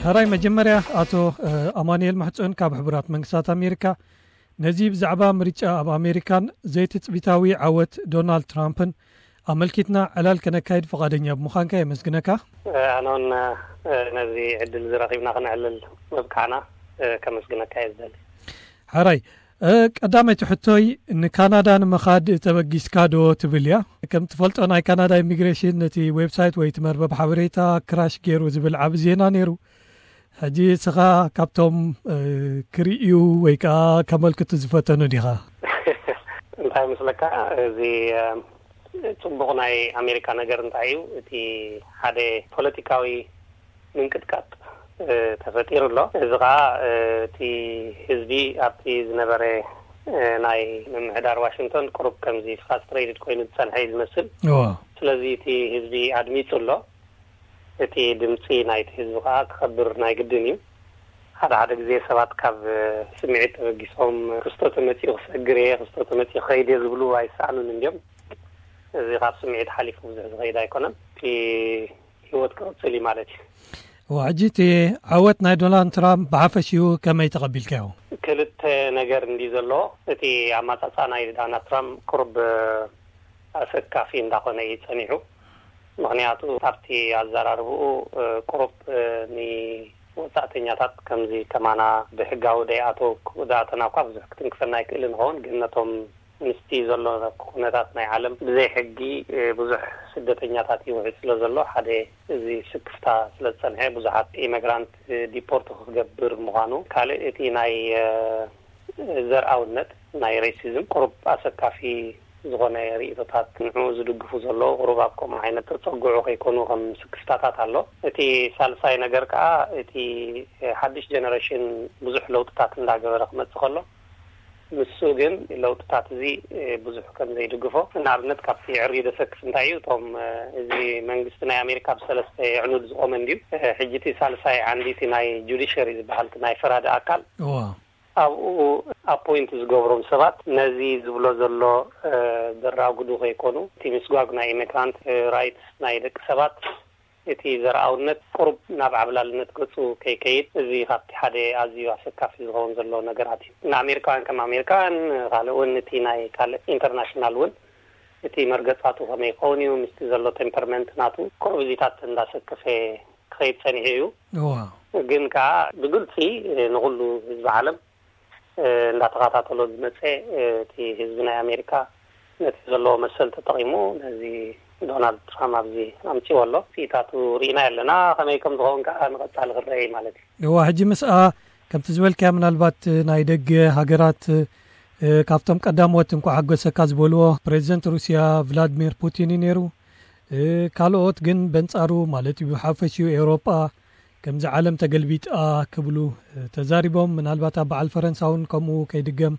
ሕራይ መጀመርያ ኣቶ ኣማኑኤል ማሕጾን ካብ ሕቡራት መንግስታት ኣሜሪካ፣ ነዚ ብዛዕባ ምርጫ ኣብ ኣሜሪካን ዘይትጽቢታዊ ዓወት ዶናልድ ትራምፕን ኣመልኪትና ዕላል ከነካይድ ፍቓደኛ ብምዃንካ የመስግነካ። ኣነ እውን ነዚ ዕድል ዝረኺብና ክነዕልል ምብቃዕና ከመስግነካ እየ ዝደሊ። ሕራይ፣ ቀዳመይቲ ሕቶይ፣ ንካናዳ ንምኻድ ተበጊስካ ዶ ትብል እያ። ከም ትፈልጦ፣ ናይ ካናዳ ኢሚግሬሽን ነቲ ዌብሳይት ወይ እቲ መርበብ ሓበሬታ ክራሽ ገይሩ ዝብል ዓቢ ዜና ነይሩ። ሕጂ እስኻ ካብቶም ክርእዩ ወይ ከዓ ከመልክቱ ዝፈተኑ ዲኻ? እንታይ ምስለካ፣ እዚ ጽቡቕ ናይ ኣሜሪካ ነገር እንታይ እዩ? እቲ ሓደ ፖለቲካዊ ምንቅጥቃጥ ተፈጢሩ ኣሎ። እዚ ከዓ እቲ ህዝቢ ኣብቲ ዝነበረ ናይ ምምሕዳር ዋሽንግቶን ቅሩብ ከምዚ ፍራስትሬትድ ኮይኑ ዝፀንሐ እዩ ዝመስል። ስለዚ እቲ ህዝቢ ኣድሚፁ ኣሎ። እቲ ድምፂ ናይቲ ህዝቢ ከዓ ክኸብር ናይ ግድን እዩ። ሓደ ሓደ ግዜ ሰባት ካብ ስምዒት ተበጊሶም፣ ክስቶ ተመፂኡ ክሰግር እየ፣ ክስቶ ተመፂኡ ክኸይድ እየ ዝብሉ ኣይሰኣኑን እንዲዮም። እዚ ካብ ስምዒት ሓሊፉ ብዙሕ ዝኸይድ ኣይኮነን። እቲ ህይወት ክቕፅል እዩ ማለት እዩ። ሕጂ እቲ ዓወት ናይ ዶናልድ ትራምፕ ብሓፈሽኡ ከመይ ተቐቢልካዮ? ክልተ ነገር እንዲ ዘለዎ፣ እቲ ኣማፃፃ ናይ ዶናልድ ትራምፕ ቁርብ ኣሰካፊ እንዳኾነ እዩ ፀኒሑ። ምኽንያቱ ኣብቲ ኣዘራርብኡ ቁሩብ ንወፃእተኛታት ከምዚ ከማና ብሕጋዊ ደይኣተው ክዳእተና እኳ ብዙሕ ክትንክፈና ኣይክእልን ይኸውን፣ ግን ነቶም ምስቲ ዘሎ ኩነታት ናይ ዓለም ብዘይ ሕጊ ብዙሕ ስደተኛታት ይውሕድ ስለ ዘሎ፣ ሓደ እዚ ስክፍታ ስለ ዝፀንሐ ብዙሓት ኢሚግራንት ዲፖርት ክገብር ምዃኑ፣ ካልእ እቲ ናይ ዘርኣውነት ናይ ሬሲዝም ቁሩብ ኣሰካፊ ዝኾነ ርእይቶታት ንዕኡ ዝድግፉ ዘለዉ ቁሩብ ኣብ ከምኡ ዓይነት ተፀግዑ ከይኮኑ ከም ስክፍታታት ኣሎ። እቲ ሳልሳይ ነገር ከዓ እቲ ሓድሽ ጀነሬሽን ብዙሕ ለውጥታት እንዳገበረ ክመፅእ ከሎ፣ ንሱ ግን ለውጥታት እዚ ብዙሕ ከም ዘይድግፎ፣ ንኣብነት ካብቲ ዕርዩ ደሰክፍ እንታይ እዩ፣ እቶም እዚ መንግስቲ ናይ ኣሜሪካ ብሰለስተ የዕኑድ ዝቆመ እንድዩ። ሕጂ እቲ ሳልሳይ ዓንዲ እቲ ናይ ጁዲሸሪ ዝበሃል ናይ ፈራዲ ኣካል ኣብኡ ኣፖይንት ዝገብሮም ሰባት ነዚ ዝብሎ ዘሎ ዘራጉዱ ከይኮኑ፣ እቲ ምስጓግ ናይ ኢሚግራንት ራይትስ ናይ ደቂ ሰባት፣ እቲ ዘርኣውነት ቁሩብ ናብ ዓብላልነት ገፁ ከይከይድ፣ እዚ ካብቲ ሓደ ኣዝዩ ኣሰካፊ ዝኸውን ዘሎ ነገራት እዩ። ንኣሜሪካውያን ከም ኣሜሪካውያን፣ ካልእ እውን እቲ ናይ ካልእ ኢንተርናሽናል እውን እቲ መርገፃቱ ከመይ ይኸውን እዩ፣ ምስቲ ዘሎ ቴምፐርመንት ናቱ ቁሩብ እዚታት እንዳሰከፈ ክኸይድ ጸኒሑ እዩ። እዋ። ግን ከኣ ብግልጺ ንኹሉ ህዝቢ ዓለም እንዳተኸታተሎ ዝመጸ፣ እቲ ህዝቢ ናይ ኣሜሪካ ነቲ ዘለዎ መሰል ተጠቒሙ ነዚ ዶናልድ ትራምፕ ኣብዚ ኣምጺዎ ኣሎ። ስኢታቱ ርኢና ኣለና፣ ከመይ ከም ዝኸውን ከኣ ንቐጻሊ ክረአ እዩ ማለት እዩ። እዋ፣ ሕጂ ምስኣ ከምቲ ዝበልካዮ ምናልባት ናይ ደገ ሃገራት፣ እ፣ ካብቶም ቀዳሞት እንኳዕ ሓጎሰካ ዝበልዎ ፕሬዚደንት ሩስያ ቭላድሚር ፑቲን እዩ ነይሩ። እ፣ ካልኦት ግን በንጻሩ ማለት እዩ ብሓፈሽኡ ኤውሮጳ ከምዚ ዓለም ተገልቢጣ ክብሉ፣ እ፣ ተዛሪቦም። ምናልባት ኣብ በዓል ፈረንሳ እውን ከምኡ ከይድገም፣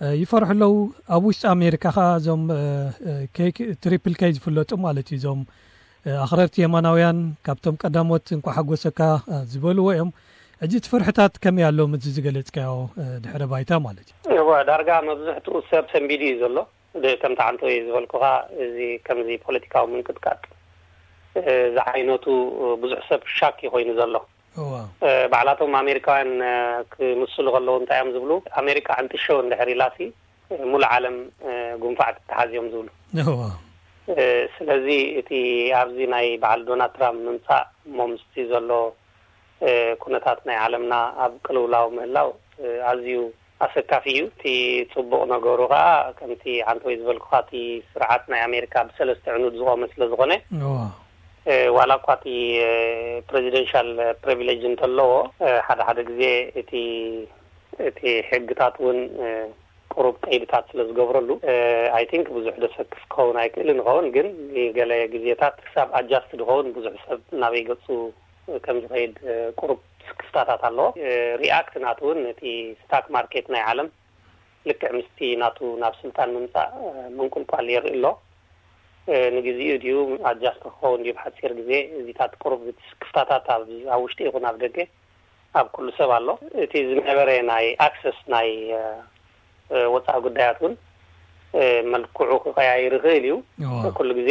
እ፣ ይፈርሑ ኣለዉ። ኣብ ውሽጢ ኣሜሪካ ኸኣ እዞም፣ እ፣ እ፣ ኬክ፣ ትሪፕል ኬይ ዝፍለጡ ማለት እዩ፣ እዞም፣ እ፣ ኣኽረርቲ የማናውያን ካብቶም ቀዳሞት እንኳዕ ሓጎሰካ፣ እ፣ ዝበልዎ እዮም። ሕጂ እቲ ፍርሕታት ከመይ ኣሎ ምስዚ ዝገለጽካዮ፣ እ፣ ድሕረ ባይታ ማለት እዩ? እወ፣ ዳርጋ መብዝሕትኡ ሰብ ሰንቢዱ እዩ ዘሎ። ደ-፣ ከምቲ ዓንተወይ ዝበልኩኻ፣ እዚ ከምዚ ፖለቲካዊ ምንቅጥቃጥ፣ እ፣ ዝዓይነቱ፣ እ፣ ብዙሕ ሰብ ሻክ እዩ ኮይኑ ዘሎ። እዋ። እ፣ ባዕላቶም ኣሜሪካውያን፣ እ፣ ክምስሉ ከለዉ እንታይ እዮም ዝብሉ? ኣሜሪካ ዕንጥሸው እንድሕር ኢላሲ፣ እ፣ ሙሉእ ዓለም፣ እ፣ ጉንፋዕ ትተሓዝ እዮም ዝብሉ። እዋ። እ፣ ስለዚ እቲ ኣብዚ ናይ በዓል ዶናልድ ትራምፕ ምምጻእ እሞ ምስቲ ዘሎ፣ እ፣ ኩነታት ናይ ዓለምና ኣብ ቅልውላው ምህላው፣ እ፣ ኣዝዩ ኣሰካፊ እዩ። እቲ ጽቡቕ ነገሩ ከኣ፣ ከምቲ ዓንተወይ ዝበልኩኻ፣ እቲ ስርዓት ናይ ኣሜሪካ ብሰለስተ ዕኑድ ዝቖመ ስለ ዝኾነ፣ እዋ። እ፣ ዋላ እኳ እቲ፣ እ፣ ፕሬዚደንሻል ፕሪቪሌጅ እንተለዎ፣ እ፣ ሓደ ሓደ ግዜ እቲ፣ እቲ ሕግታት እውን፣ እ፣ ቁሩብ ቀይድታት ስለ ዝገብረሉ፣ እ፣ ኣይ ቲንክ ብዙሕ ደሰክፍ ክኸውን ኣይክእልን ይኸውን፣ ግን ንገለ ግዜታት ክሳብ ኣጃስት ዝኸውን ብዙሕ ሰብ ናበይ ገጹ ከም ዝኸይድ፣ እ፣ ቁሩብ ስክፍታታት ኣለዎ። እ፣ ሪኣክት ናቱ እውን ነቲ ስታክ ማርኬት ናይ ዓለም ልክዕ ምስቲ ናቱ ናብ ስልጣን ምምጻእ፣ እ፣ ምንቁልቋል የርኢ ኣሎ። እ፣ ንግዜኡ ድዩ ኣጃስት ክኸውን ድዩ ብሓጺር ግዜ፣ እዚታት ቁሩብ እቲ ስክፍታታት ኣብ፣ ኣብ ውሽጢ ይኹን ኣብ ደገ ኣብ ኩሉ ሰብ ኣሎ። እቲ ዝነበረ ናይ ኣክሰስ ናይ፣ እ፣ እ፣ ወጻኢ ጉዳያት እውን፣ እ፣ መልክዑ ክቀያይር ይኽእል እዩ። እዋ። ኩሉ ግዜ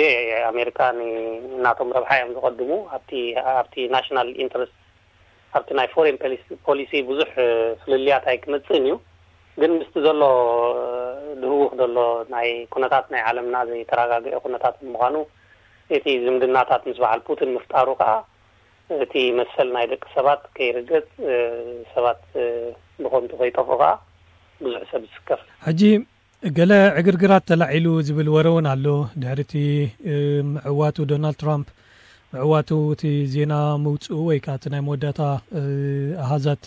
ኣሜሪካ ን-፣ ናቶም ረብሓ እዮም ዝቐድሙ። ኣብቲ፣ ኣብቲ ናሽናል ኢንትረስት ኣብቲ ናይ ፎሬን ፖሊሲ ብዙሕ ፍልልያት ኣይክመጽእን እዩ። ግን ምስቲ ዘሎ ድህውኽ ዘሎ ናይ ኩነታት ናይ ዓለምና ዘይተረጋግአ ኩነታት ብምዃኑ፣ እቲ ዝምድናታት ምስ በዓል ፑቲን ምፍጣሩ ከኣ እቲ መሰል ናይ ደቂ ሰባት ከይርገጽ፣ ሰባት ብኸንቱ ከይጠፍኡ ከኣ ብዙሕ ሰብ ይስከፍ። ሕጂ ገለ ዕግርግራት ተላዒሉ ዝብል ወረ እውን ኣሎ። ድሕሪ እቲ ምዕዋቱ፣ ዶናልድ ትራምፕ ምዕዋቱ፣ እቲ ዜና ምውፅኡ ወይ ከዓ እቲ ናይ መወዳእታ ኣሃዛት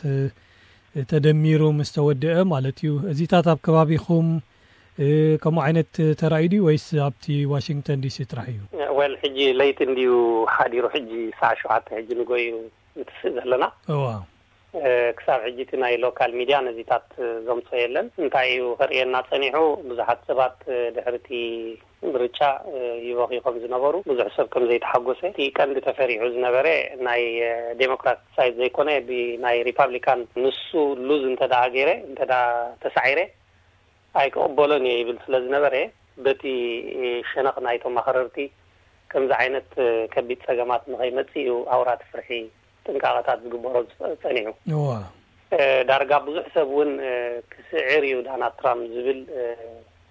ተደሚሩ ምስ ተወደአ ማለት እዩ። እዚታት ኣብ ከባቢኹም ከምኡ ዓይነት ተራእዩ ድዩ ወይስ ኣብቲ ዋሽንግተን ዲሲ ጥራሕ እዩ? ወል ሕጂ ለይቲ እንድዩ ሓዲሩ፣ ሕጂ ሰዓት ሸውዓተ ሕጂ ንጎ እዩ ንትስእ ዘለና። እዋ። ክሳብ ሕጂ እቲ ናይ ሎካል ሚድያ ነዚታት ዘምፅኦ የለን። እንታይ እዩ ከርእየና ፀኒሑ? ብዙሓት ሰባት ድሕሪ እቲ ምርጫ ይበኽዩ ከም ዝነበሩ፣ ብዙሕ ሰብ ከም ዘይተሓጎሰ፣ እቲ ቀንዲ ተፈሪሑ ዝነበረ ናይ ዴሞክራት ሳይድ ዘይኮነ ብናይ ሪፓብሊካን ንሱ ሉዝ እንተ ደኣ ገይረ፣ እንተ ደኣ ተሳዒረ ኣይክቕበሎን እየ ይብል ስለ ዝነበረ፣ በቲ ሸነኽ ናይቶም ኣኽረርቲ ከምዚ ዓይነት ከቢድ ጸገማት ንኸይመጽእ እዩ ኣውራ እቲ ፍርሒ ጥንቃቐታት ዝግበሮ ዝጸ-፣ ጸኒሑ። እዋ። እ፣ ዳርጋ ብዙሕ ሰብ እውን፣ እ፣ ክስዕር እዩ ዳናልድ ትራምፕ ዝብል፣ እ፣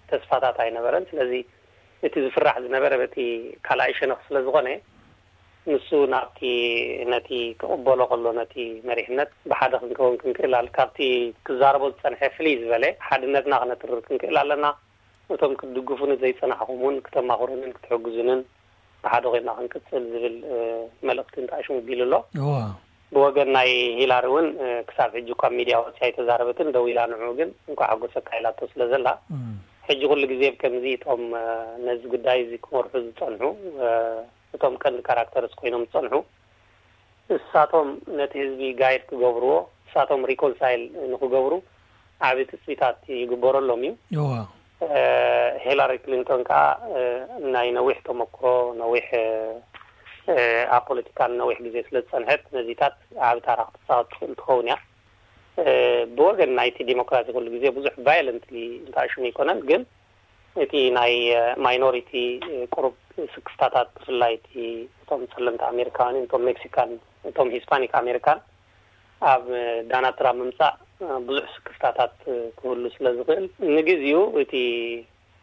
ተስፋታት ኣይነበረን። ስለዚ እቲ ዝፍራሕ ዝነበረ በቲ ካልኣይ ሸነኽ ስለ ዝኾነ፣ ንሱ ናብቲ፣ ነቲ ክቕበሎ ከሎ ነቲ መሪሕነት ብሓደ ክንከውን ክንክእል ኣለ-፣ ካብቲ ክዛረቦ ዝጸንሐ ፍልይ ዝበለ ሓድነትና ክነትርር ክንክእል ኣለና። እቶም ክትድግፉኒ ዘይጸናሕኹም እውን ክተማኽሩንን ክትሕግዙንን ብሓደ ኮይና ክንቅጽል ዝብል፣ እ፣ መልእኽቲ እንተኣሽሙ ቢሉ ኣሎ። እዋ። ብወገን ናይ ሂላሪ እውን፣ እ፣ ክሳብ ሕጂ እኳ ኣብ ሚድያ ወፂኣ ኣይተዛረበትን፣ ደው ኢላ ንዕኡ ግን እንኳዕ ሓጎሰካ ኢላቶ ስለ ዘላ፣ እም። ሕጂ ኩሉ ግዜ ብከምዚ እቶም፣ እ፣ ነዚ ጉዳይ እዚ ክመርሑ ዝጸንሑ፣ እ፣ እቶም ቀንዲ ካራክተርስ ኮይኖም ዝጸንሑ፣ እሳቶም ነቲ ህዝቢ ጋይድ ክገብርዎ፣ እሳቶም ሪኮንሳይል ንክገብሩ ዓቢ ትጽቢታት ይግበረሎም እዩ። እዋ። እ፣ ሂላሪ ክሊንቶን ከኣ፣ እ፣ ናይ ነዊሕ ተመክሮ፣ ነዊሕ፣ እ፣ እ፣ ኣብ ፖለቲካን ነዊሕ ግዜ ስለ ዝጸንሐት፣ ነዚታት ዓቢ ታራ ክትጻወት ትኽእል ትኸውን እያ። እ፣ ብወገን ናይቲ ዲሞክራሲ ኩሉ ግዜ ብዙሕ ቫዮለንትሊ እንተኣሽሙ ኣይኮነን፣ ግን እቲ ናይ፣ እ፣ ማይኖሪቲ፣ እ፣ ቁሩብ ስክፍታታት፣ ብፍላይ እቲ እቶም ጸለምቲ ኣሜሪካውያንን እቶም ሜክሲካን፣ እቶም ሂስፓኒክ ኣሜሪካን ኣብ፣ እ፣ ዳናልድ ትራምፕ ምምጻእ፣ እ፣ ብዙሕ ስክፍታታት፣ እ፣ ክህሉ ስለ ዝኽእል፣ ንግዜኡ እቲ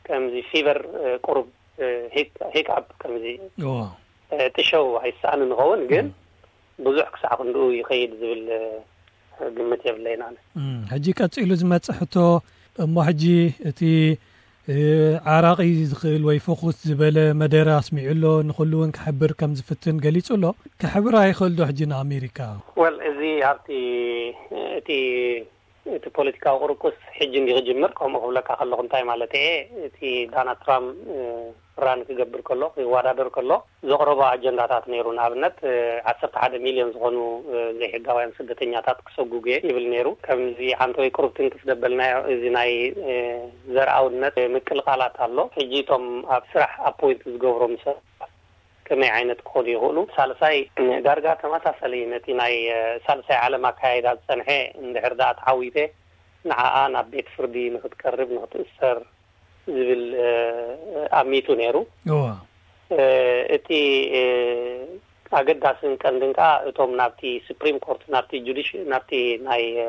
ከምዚ ፊቨር፣ እ፣ ቁሩብ፣ እ፣ ሂክ-፣ ሂክኣፕ ከምዚ፣ እዋ። እ፣ ጥሸው ኣይሰኣንን ይኸውን፣ ግን እም። ብዙሕ ክሳዕ ክንድኡ ይኸይድ ዝብል፣ እ፣ ግምት የብለይን ኣነ። እም፣ ሕጂ ቀጺሉ ዝመጽእ ሕቶ፣ እሞ ሕጂ እቲ፣ እ፣ ዓራቒ ዝኽእል ወይ ፍኹስ ዝበለ መደረ ኣስሚዑ ኣሎ፣ ንኹሉ እውን ክሕብር ከም ዝፍትን ገሊጹ ኣሎ። ክሕብር ኣይኽእል ዶ ሕጂ ንኣሜሪካ? ወል፣ እዚ ኣብቲ፣ እቲ፣ እቲ ፖለቲካዊ ቁርቁስ ሕጂ እንዲ ክጅምር፣ ከምኡ ክብለካ ከለኹ እንታይ ማለት እየ? እቲ ዳናልድ ትራምፕ፣ እ፣ ራን ክገብር ከሎ፣ ክወዳደር ከሎ፣ ዘቕረቦ ኣጀንዳታት ነይሩ። ንኣብነት፣ እ፣ ዓሰርተ ሓደ ሚልዮን ዝኾኑ፣ እ፣ ዘይሕጋውያን ስደተኛታት ክሰጉጉ እየ ይብል ነይሩ። ከምዚ ዓንተወይ ቁሩብ ትንክፍ ደበልናዮ፣ እዚ ናይ፣ እ፣ ዘርኣውነት፣ እ፣ ምቅልቃላት ኣሎ። ሕጂ እቶም ኣብ ስራሕ ኣፖይንት ዝገብሮም ሰባት ከመይ ዓይነት ክኾኑ ይኽእሉ? ሳልሳይ፣ እ፣ ዳርጋ ተመሳሳሊ ነቲ ናይ፣ እ፣ ሳልሳይ ዓለም ኣካያይዳ ዝጸንሐ፣ እንድሕር ደኣ ተዓዊተ፣ ንዓኣ ናብ ቤት ፍርዲ ንኽትቀርብ፣ ንኽትእሰር ዝብል፣ እ፣ ኣሚቱ ነይሩ። እዋ። እ፣ እቲ፣ እ፣ ኣገዳስን ቀንድን ከኣ እቶም ናብቲ ሱፕሪም ኮርት፣ ናብቲ ጁዲሽ-፣ ናብቲ ናይ፣ እ፣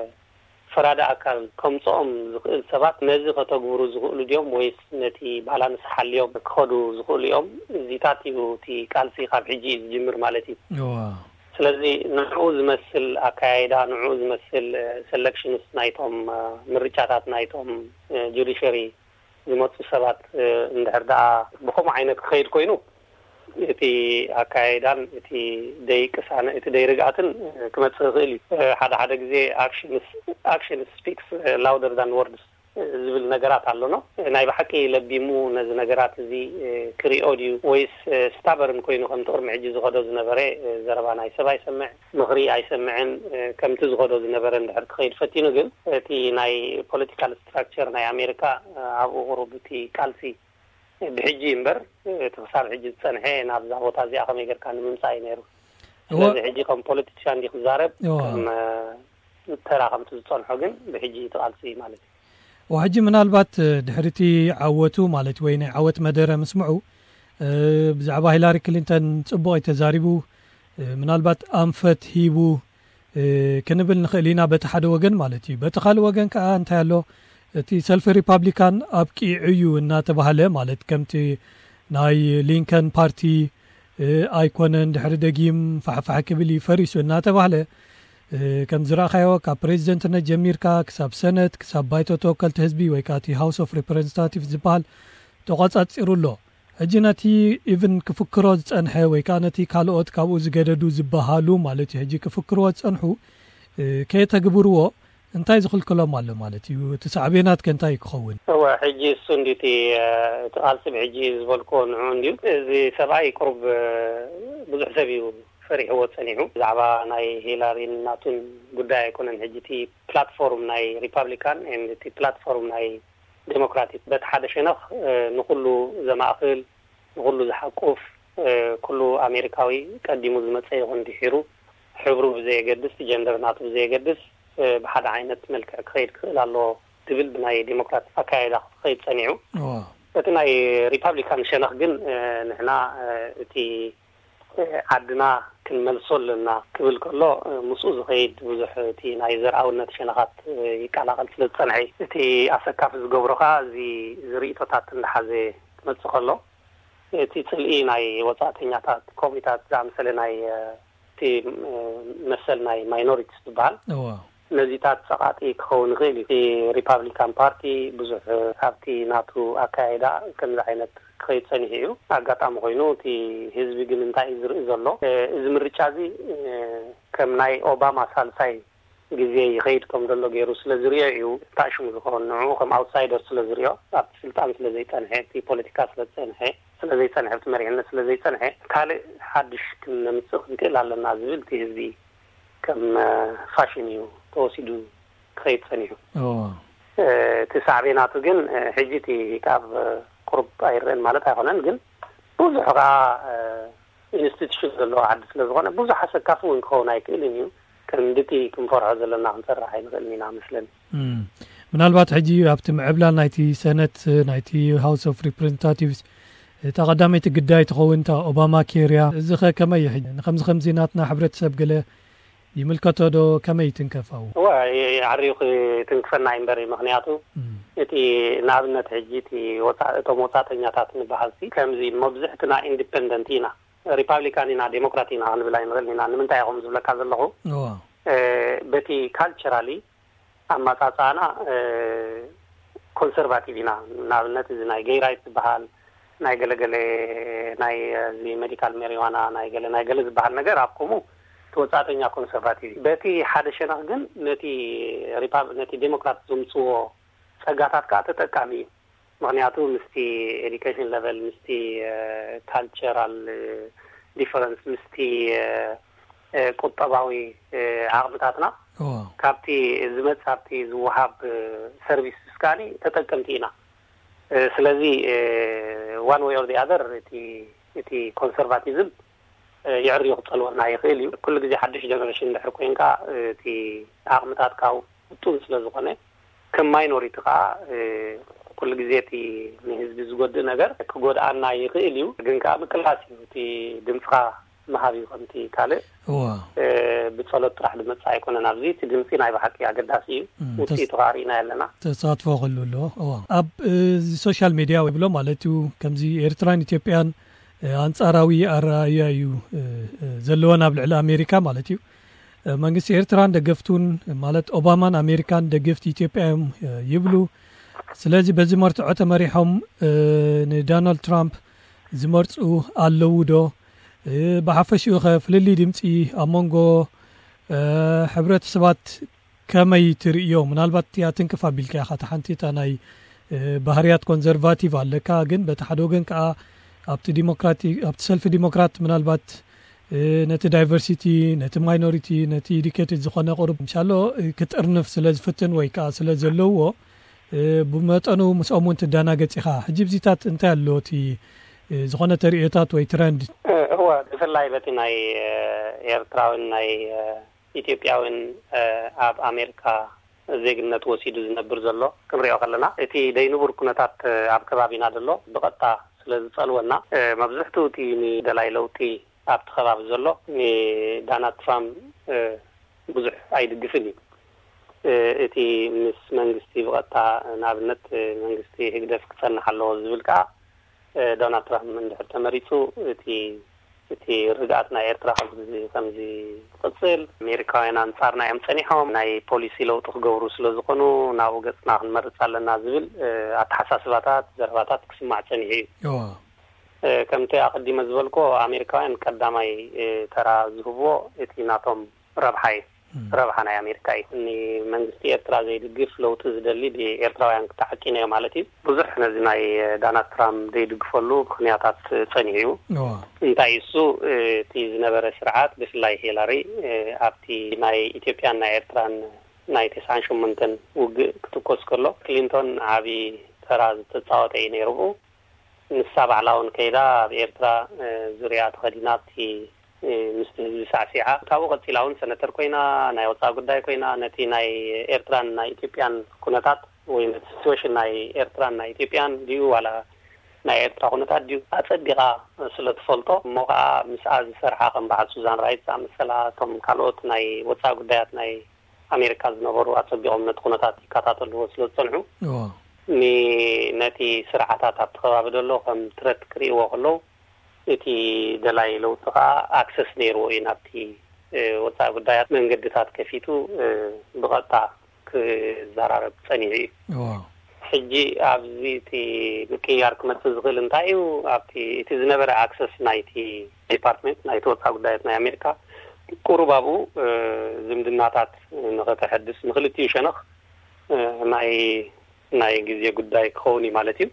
ፈራዲ ኣካል ከምጽኦም ዝኽእል ሰባት ነዚ ከተግብሩ ዝኽእሉ ድዮም ወይስ ነቲ ባላንስ ሓልዮም ክኸዱ ዝኽእሉ እዮም? እዚታት እዩ እቲ ቃልሲ ካብ ሕጂ እዩ ዝጅምር ማለት እዩ። እዋ። ስለዚ ንዕኡ ዝመስል ኣካያይዳ፣ ንዕኡ ዝመስል፣ እ፣ ሰለክሽንስ ናይቶም፣ እ፣ ምርጫታት ናይቶም፣ እ፣ ጁዲሸሪ ዝመጹ ሰባት፣ እ፣ እንድሕር ደኣ ብኸምኡ ዓይነት ክኸይድ ኮይኑ፣ እቲ ኣካያይዳን እቲ ደይ ቅሳነ፣ እቲ ደይ ርግኣትን፣ እ፣ ክመጽእ ይኽእል እዩ። እ፣ ሓደ ሓደ ግዜ ኣክሽንስ፣ ኣክሽን ስፒክስ ላውደር ዳን ወርድስ ዝብል ነገራት ኣሎኖ። ናይ ብሓቂ ለቢሙ ነዚ ነገራት እዚ፣ እ፣ ክሪኦ ድዩ? ወይስ፣ እ፣ ስታበርን ኮይኑ ከምቲ ቅድሚ ሕጂ ዝኸዶ ዝነበረ፣ እ፣ ዘረባ ናይ ሰብ ኣይሰምዕ፣ ምኽሪ ኣይሰምዕን፣ እ፣ ከምቲ ዝኸዶ ዝነበረ እንድሕር ክኸይድ ፈቲኑ ግን፣ እቲ ናይ ፖለቲካል ስትራክቸር ናይ ኣሜሪካ፣ እ፣ ኣብኡ ቁሩብ እቲ ቃልሲ ብሕጂ እምበር፣ እቲ ክሳብ ሕጂ ዝጸንሐ ናብዛ ቦታ እዚኣ ከመይ ጌርካ ንምምጻእ እዩ ነይሩ። እወ። ስለዚ ሕጂ ከም ፖለቲሻን እንዲ ክዛረብ፣ እወ። ከም፣ እ፣ ተራ ከምቲ ዝጸንሖ ግን ብሕጂ እቲ ቃልሲ ማለት እዩ። እወ፣ ሕጂ ምናልባት፣ እ፣ ድሕሪ እቲ ዓወቱ ማለት ወይ ናይ ዓወት መደረ ምስምዑ፣ እ፣ ብዛዕባ ሂላሪ ክሊንተን ጽቡቕ እዩ ተዛሪቡ፣ እ፣ ምናልባት ኣንፈት ሂቡ፣ ክንብል ንኽእል ኢና፣ በቲ ሓደ ወገን ማለት እዩ። በቲ ካልእ ወገን ከዓ እንታይ ኣሎ? እቲ ሰልፊ ሪፓብሊካን ኣብቂዑ እዩ እናተባህለ፣ ማለት ከምቲ ናይ ሊንከን ፓርቲ ኣይኮነን፣ ድሕሪ ደጊም ፋሕፋሕ ክብል እዩ፣ ፈሪሱ እናተባህለ፣ ከም ዝረእኻዮ ካብ ፕሬዚደንትነት ጀሚርካ ክሳብ ሰነት፣ ክሳብ ባይቶ ተወከልቲ ህዝቢ ወይ ከዓ እቲ ሃውስ ኦፍ ሪፕሬዘንታቲቭ ዝበሃል ተቋጻጺሩ ኣሎ። ሕጂ ነቲ ኢቭን ክፍክሮ ዝጸንሐ ወይ ከዓ ነቲ ካልኦት ካብኡ ዝገደዱ ዝበሃሉ ማለት እዩ፣ ሕጂ ክፍክርዎ ዝጸንሑ ከየተግብርዎ እንታይ ዝኽልክሎም ኣሎ ማለት እዩ? እቲ ሳዕቤናት ከ እንታይ ክኸውን? እወ፣ ሕጂ እሱ እንዲ እቲ እቲ ቃልሲ ብሕጂ ዝበልክዎ ንዑ እንድዩ። እዚ ሰብኣይ ቁሩብ ብዙሕ ሰብ እዩ ፈሪሕዎ ጸኒሑ። ብዛዕባ ናይ ሂላሪን ናቱን ጉዳይ ኣይኮነን። ሕጂ እቲ ፕላትፎርም ናይ ሪፓብሊካን፣ እቲ ፕላትፎርም ናይ ዴሞክራቲክ በቲ ሓደ ሸነኽ ንኹሉ ዘማእኽል፣ ንኹሉ ዝሓቁፍ፣ ኩሉ ኣሜሪካዊ ቀዲሙ ዝመጸ ይኹን ድሒሩ፣ ሕብሩ ብዘየገድስ፣ ጀንደር ናቱ ብዘየገድስ፣ ብሓደ ዓይነት መልክዕ ክኸይድ ክኽእል ኣለዎ ዝብል ብናይ ዴሞክራት ኣካያይዳ ክኸይድ ጸኒዑ። በቲ ናይ ሪፓብሊካን ሸነኽ ግን ንሕና እቲ ዓድና ክንመልሶ ኣለና ክብል ከሎ፣ ምስኡ ዝኸይድ ብዙሕ እቲ ናይ ዘርኣውነት ሸነኻት ይቀላቐል ስለ ዝጸንሐ፣ እቲ ኣሰካፊ ዝገብሮ ከኣ እዚ ዝርእቶታት እንዳሓዘ ክመጽእ ከሎ፣ እቲ ጽልኢ ናይ ወጻእተኛታት፣ ኮሚታት ዝኣመሰለ ናይ እቲ መሰል ናይ ማይኖሪቲስ ዝበሃል፣ ነዚታት ጸቓጢ ክኸውን ይኽእል እዩ። እቲ ሪፓብሊካን ፓርቲ ብዙሕ ካብቲ ናቱ ኣካያይዳ ከምዚ ዓይነት ክኸይድ ጸኒሑ እዩ። ኣጋጣሚ ኮይኑ እቲ ህዝቢ ግን እንታይ እዩ ዝርኢ ዘሎ? እዚ ምርጫ እዚ ከም ናይ ኦባማ ሳልሳይ ግዜ ይኸይድ ከም ዘሎ ገይሩ ስለ ዝርእዮ እዩ። እንታይ ሽሙ ዝኸውን ንዕኡ ከም ኣውትሳይደር ስለ ዝርእዮ፣ ኣብቲ ስልጣን ስለ ዘይጸንሐ፣ እቲ ፖለቲካ ስለ ዝጸንሐ፣ ስለ ዘይጸንሐ፣ ኣብቲ መሪሕነት ስለ ዘይጸንሐ፣ ካልእ ሓድሽ ክነምጽእ ክንክእል ኣለና ዝብል እቲ ህዝቢ ከም ፋሽን እዩ ተወሲዱ ክኸይድ ጸኒሑ። እቲ ሳዕቤናቱ ግን ሕጂ እቲ ካብ ቁሩብ ኣይረአን ማለት ኣይኮነን፣ ግን ብዙሕ ከኣ ኢንስቲቱሽን ዘለዎ ዓዲ ስለ ዝኾነ ብዙሕ ኣሰካፊ እውን ክኸውን ኣይክእልን እዩ። ክንድቲ ክንፈርሖ ዘለና ክንሰርሕ ኣይንኽእልን ኢና መስለኒ። ምናልባት ሕጂ ኣብቲ ምዕብላል ናይቲ ሰነት፣ ናይቲ ሃውስ ኦፍ ሪፕሬዘንታቲቭስ፣ እታ ቀዳመይቲ ግዳይ ትኸውን እታ ኦባማ ኬር እያ። እዚ ኸ ከመይ እዩ? ሕጂ ንኸምዚ ኸምዚ ናትና ሕብረተሰብ ገለ ይምልከቶ ዶ? ከመይ ይትንከፍ ኣብኡ? እወ፣ ዓርዩ ክትንክፈና እዩ እምበር፣ ምኽንያቱ እቲ ንኣብነት ሕጂ እቲ ወፃ-፣ እቶም ወፃእተኛታት ንበሃልሲ ከምዚ መብዝሕትና ኢንዲፐንደንት ኢና፣ ሪፓብሊካን ኢና፣ ዴሞክራት ኢና ክንብል ኣይንኽእልን ኢና። ንምንታይ ኢኹም ዝብለካ ዘለኹ? እዋ። እ፣ በቲ ካልቸራሊ ኣመጻጽኣና፣ እ፣ ኮንሰርቫቲቭ ኢና። ንኣብነት እዚ ናይ ጌይ ራይት ዝበሃል፣ ናይ ገለገለ፣ ናይ እዚ ሜዲካል ሜሪዋና፣ ናይ ገለ፣ ናይ ገለ ዝበሃል ነገር ኣብ ከምኡ እቲ ወጻእተኛ ኮንሰርቫቲቭ እዩ። በቲ ሓደ ሸነኽ ግን ነቲ ሪፓብ-፣ ነቲ ዴሞክራት ዘምጽዎ ጸጋታት ከኣ ተጠቃሚ እዩ። ምኽንያቱ ምስቲ ኤዱኬሽን ለቨል፣ ምስቲ፣ እ፣ ካልቸራል፣ እ፣ ዲፈረንስ፣ ምስቲ፣ እ፣ እ፣ ቁጠባዊ፣ እ፣ ዓቕምታትና እዎ። ካብቲ ዝመጽእ፣ ካብቲ ዝወሃብ፣ እ፣ ሰርቪስ እስካኒ ተጠቀምቲ ኢና። እ፣ ስለዚ፣ እ፣ ዋን ዌይ ኦር ዲ ኣዘር እቲ፣ እቲ ኮንሰርቫቲዝም እ፣ የዕርዩ ክጸልወና ይኽእል እዩ። ኩሉ ግዜ ሓድሽ ጀነሬሽን እንድሕር ኮይንካ፣ እ፣ እቲ ዓቕምታትካ ውጡን ስለ ዝኾነ፣ ከም ማይኖሪቲ ከኣ፣ እ፣ ኩሉ ግዜ እቲ ንህዝቢ ዝጎድእ ነገር ክጎድኣና ይኽእል እዩ። ግን ከኣ ምቅላስ እዩ። እቲ ድምጽኻ ምሃብ እዩ። ከምቲ ካልእ፣ እዋ። እ፣ ብጸሎት ጥራሕ ዝመጽእ ኣይኮነን። ኣብዚ እቲ ድምጺ ናይ ብሓቂ ኣገዳሲ እዩ። እም፣ ተስ-፣ ውጽኢቱ ከኣ ርኢና ኣለና። ተሳትፎ ክህሉ ኣለዎ። እዋ። ኣብ፣ እ፣ እዚ ሶሻል ሜድያ ይብሎ ማለት እዩ፣ ከምዚ ኤርትራን ኢትዮጵያን እ፣ ኣንጻራዊ ኣረኣእያ እዩ፣ እ፣ እ፣ ዘለወን ኣብ ልዕሊ ኣሜሪካ ማለት እዩ። እ፣ መንግስቲ ኤርትራን ደገፍቱን፣ ማለት ኦባማን ኣሜሪካን ደገፍቲ ኢትዮጵያ እዮም፣ እ፣ ይብሉ። ስለዚ በዚ መርትዖ ተመሪሖም፣ እ፣ ንዶናልድ ትራምፕ ዝመርጹ ኣለዉ ዶ? እ፣ ብሓፈሽኡ ኸ ፍልልይ ድምጺ ኣብ መንጎ፣ እ፣ ሕብረተሰባት ከመይ ትርእዮ? ምናልባት እቲኣ ትንክፍ ኣቢልካ ኢኻ፣ እታ ሓንቲ እታ ናይ፣ እ፣ ባህርያት ኮንዘርቫቲቭ ኣለካ፣ ግን በቲ ሓደ ወገን ከኣ ኣብቲ ዲሞክራቲ-፣ ኣብቲ ሰልፊ ዲሞክራት ምናልባት፣ እ፣ ነቲ ዳይቨርሲቲ፣ ነቲ ማይኖሪቲ፣ ነቲ ኢዱኬትድ ዝኾነ ቁሩብ ምሻሎ፣ እ፣ ክጥርንፍ ስለ ዝፍትን ወይ ከኣ ስለ ዘለዎ፣ እ፣ ብመጠኑ ምስኦም እውን ትደናገጽ ኢኻ። ሕጂ ብዚታት እንታይ ኣሎ እቲ፣ እ፣ ዝኾነ ተርእዮታት ወይ ትረንድ? እ፣ እወ፣ ብፍላይ በቲ ናይ፣ እ፣ ኤርትራውን ናይ፣ እ፣ ኢትዮጵያውን፣ እ፣ ኣብ ኣሜሪካ ዜግነት ወሲዱ ዝነብር ዘሎ ክንሪኦ ከለና፣ እቲ ደይንቡር ኩነታት፣ እ፣ ኣብ ከባቢና ዘሎ ብቐጥታ ስለ ዝጸልወና፣ እ፣ መብዝሕትኡ እቲ ንደላይ ለውጢ ኣብቲ ከባቢ ዘሎ ንዳናልድ ትራምፕ፣ እ፣ ብዙሕ ኣይድግፍን እዩ። እቲ ምስ መንግስቲ ብቐጥታ፣ ንኣብነት መንግስቲ ህግደፍ ክጸንሕ ኣለዎ ዝብል ከዓ፣ ዶናልድ ትራምፕ እንድሕር ተመሪጹ፣ እቲ እቲ ርግኣት ናይ ኤርትራ ከምዚ ከምዚ ክቕጽል፣ ኣሜሪካውያን ኣንጻርና እዮም ጸኒሖም፣ ናይ ፖሊሲ ለውጢ ክገብሩ ስለ ዝኾኑ ናብኡ ገጽና ክንመርጽ ኣለና ዝብል ኣተሓሳስባታት፣ ዘረባታት ክስማዕ ጸኒሑ እዩ። ከምቲ ኣቐዲመ ዝበልኮ፣ ኣሜሪካውያን ቀዳማይ ተራ ዝህብዎ እቲ ናቶም ረብሓ እዩ። ረብሓ ናይ ኣሜሪካ እዩ። ንመንግስቲ ኤርትራ ዘይድግፍ፣ ለውጢ ዝደሊ ብኤርትራውያን ክተዓቂነ ማለት እዩ። ብዙሕ ነዚ ናይ ዳናልድ ትራምፕ ዘይድግፈሉ ምኽንያታት ጸኒሑ እዩ። እንታይ እሱ፣ እቲ ዝነበረ ስርዓት፣ ብፍላይ ሂላሪ፣ ኣብቲ ናይ ኢትዮጵያን ናይ ኤርትራን ናይ ተስዓን ሸሞንተን ውግእ ክትኮስ ከሎ፣ ክሊንቶን ዓቢ ተራ ዝተጻወተ እዩ ነይሩ። ንሳ ባዕላ እውን ከይዳ ኣብ ኤርትራ ዙርያ ተኸዲና ኣብቲ ምስቲ ህዝቢ ሳዕሲዓ። ካብኡ ቀጺላ እውን ሰነተር ኮይና፣ ናይ ወጻኢ ጉዳይ ኮይና፣ ነቲ ናይ ኤርትራን ናይ ኢትዮጵያን ኩነታት ወይ ነቲ ሲትዌሽን ናይ ኤርትራን ናይ ኢትዮጵያን ድዩ ዋላ ናይ ኤርትራ ኩነታት ድዩ ኣጸቢቓ ስለ ትፈልጦ፣ እሞ ከኣ ምስኣ ዝሰርሓ ከም በዓል ሱዛን ራይት ዝኣመሰላ፣ እቶም ካልኦት ናይ ወጻኢ ጉዳያት ናይ ኣሜሪካ ዝነበሩ ኣጸቢቖም ነቲ ኩነታት ይከታተልዎ ስለ ዝጸንሑ፣ ነቲ ስርዓታት ኣብቲ ከባቢ ዘሎ ከም ትረት ክርእይዎ ከለዉ፣ እቲ ደላይ ለውጢ ከኣ ኣክሰስ ነይርዎ እዩ ናብቲ ወፃኢ ጉዳያት። መንገድታት ከፊቱ ብቐጥታ ክዘራረብ ፀኒሑ እዩ። ሕጂ ኣብዚ እቲ ምቅያር ክመፅእ ዝኽእል እንታይ እዩ? ኣብቲ እቲ ዝነበረ ኣክሰስ ናይቲ ዲፓርትመንት ናይቲ ወፃኢ ጉዳያት ናይ ኣሜሪካ ቁሩብ ኣብኡ ዝምድናታት ንኸተሐድስ ንክልቲኡ ሸነኽ ናይ ናይ ግዜ ጉዳይ ክኸውን እዩ ማለት እዩ።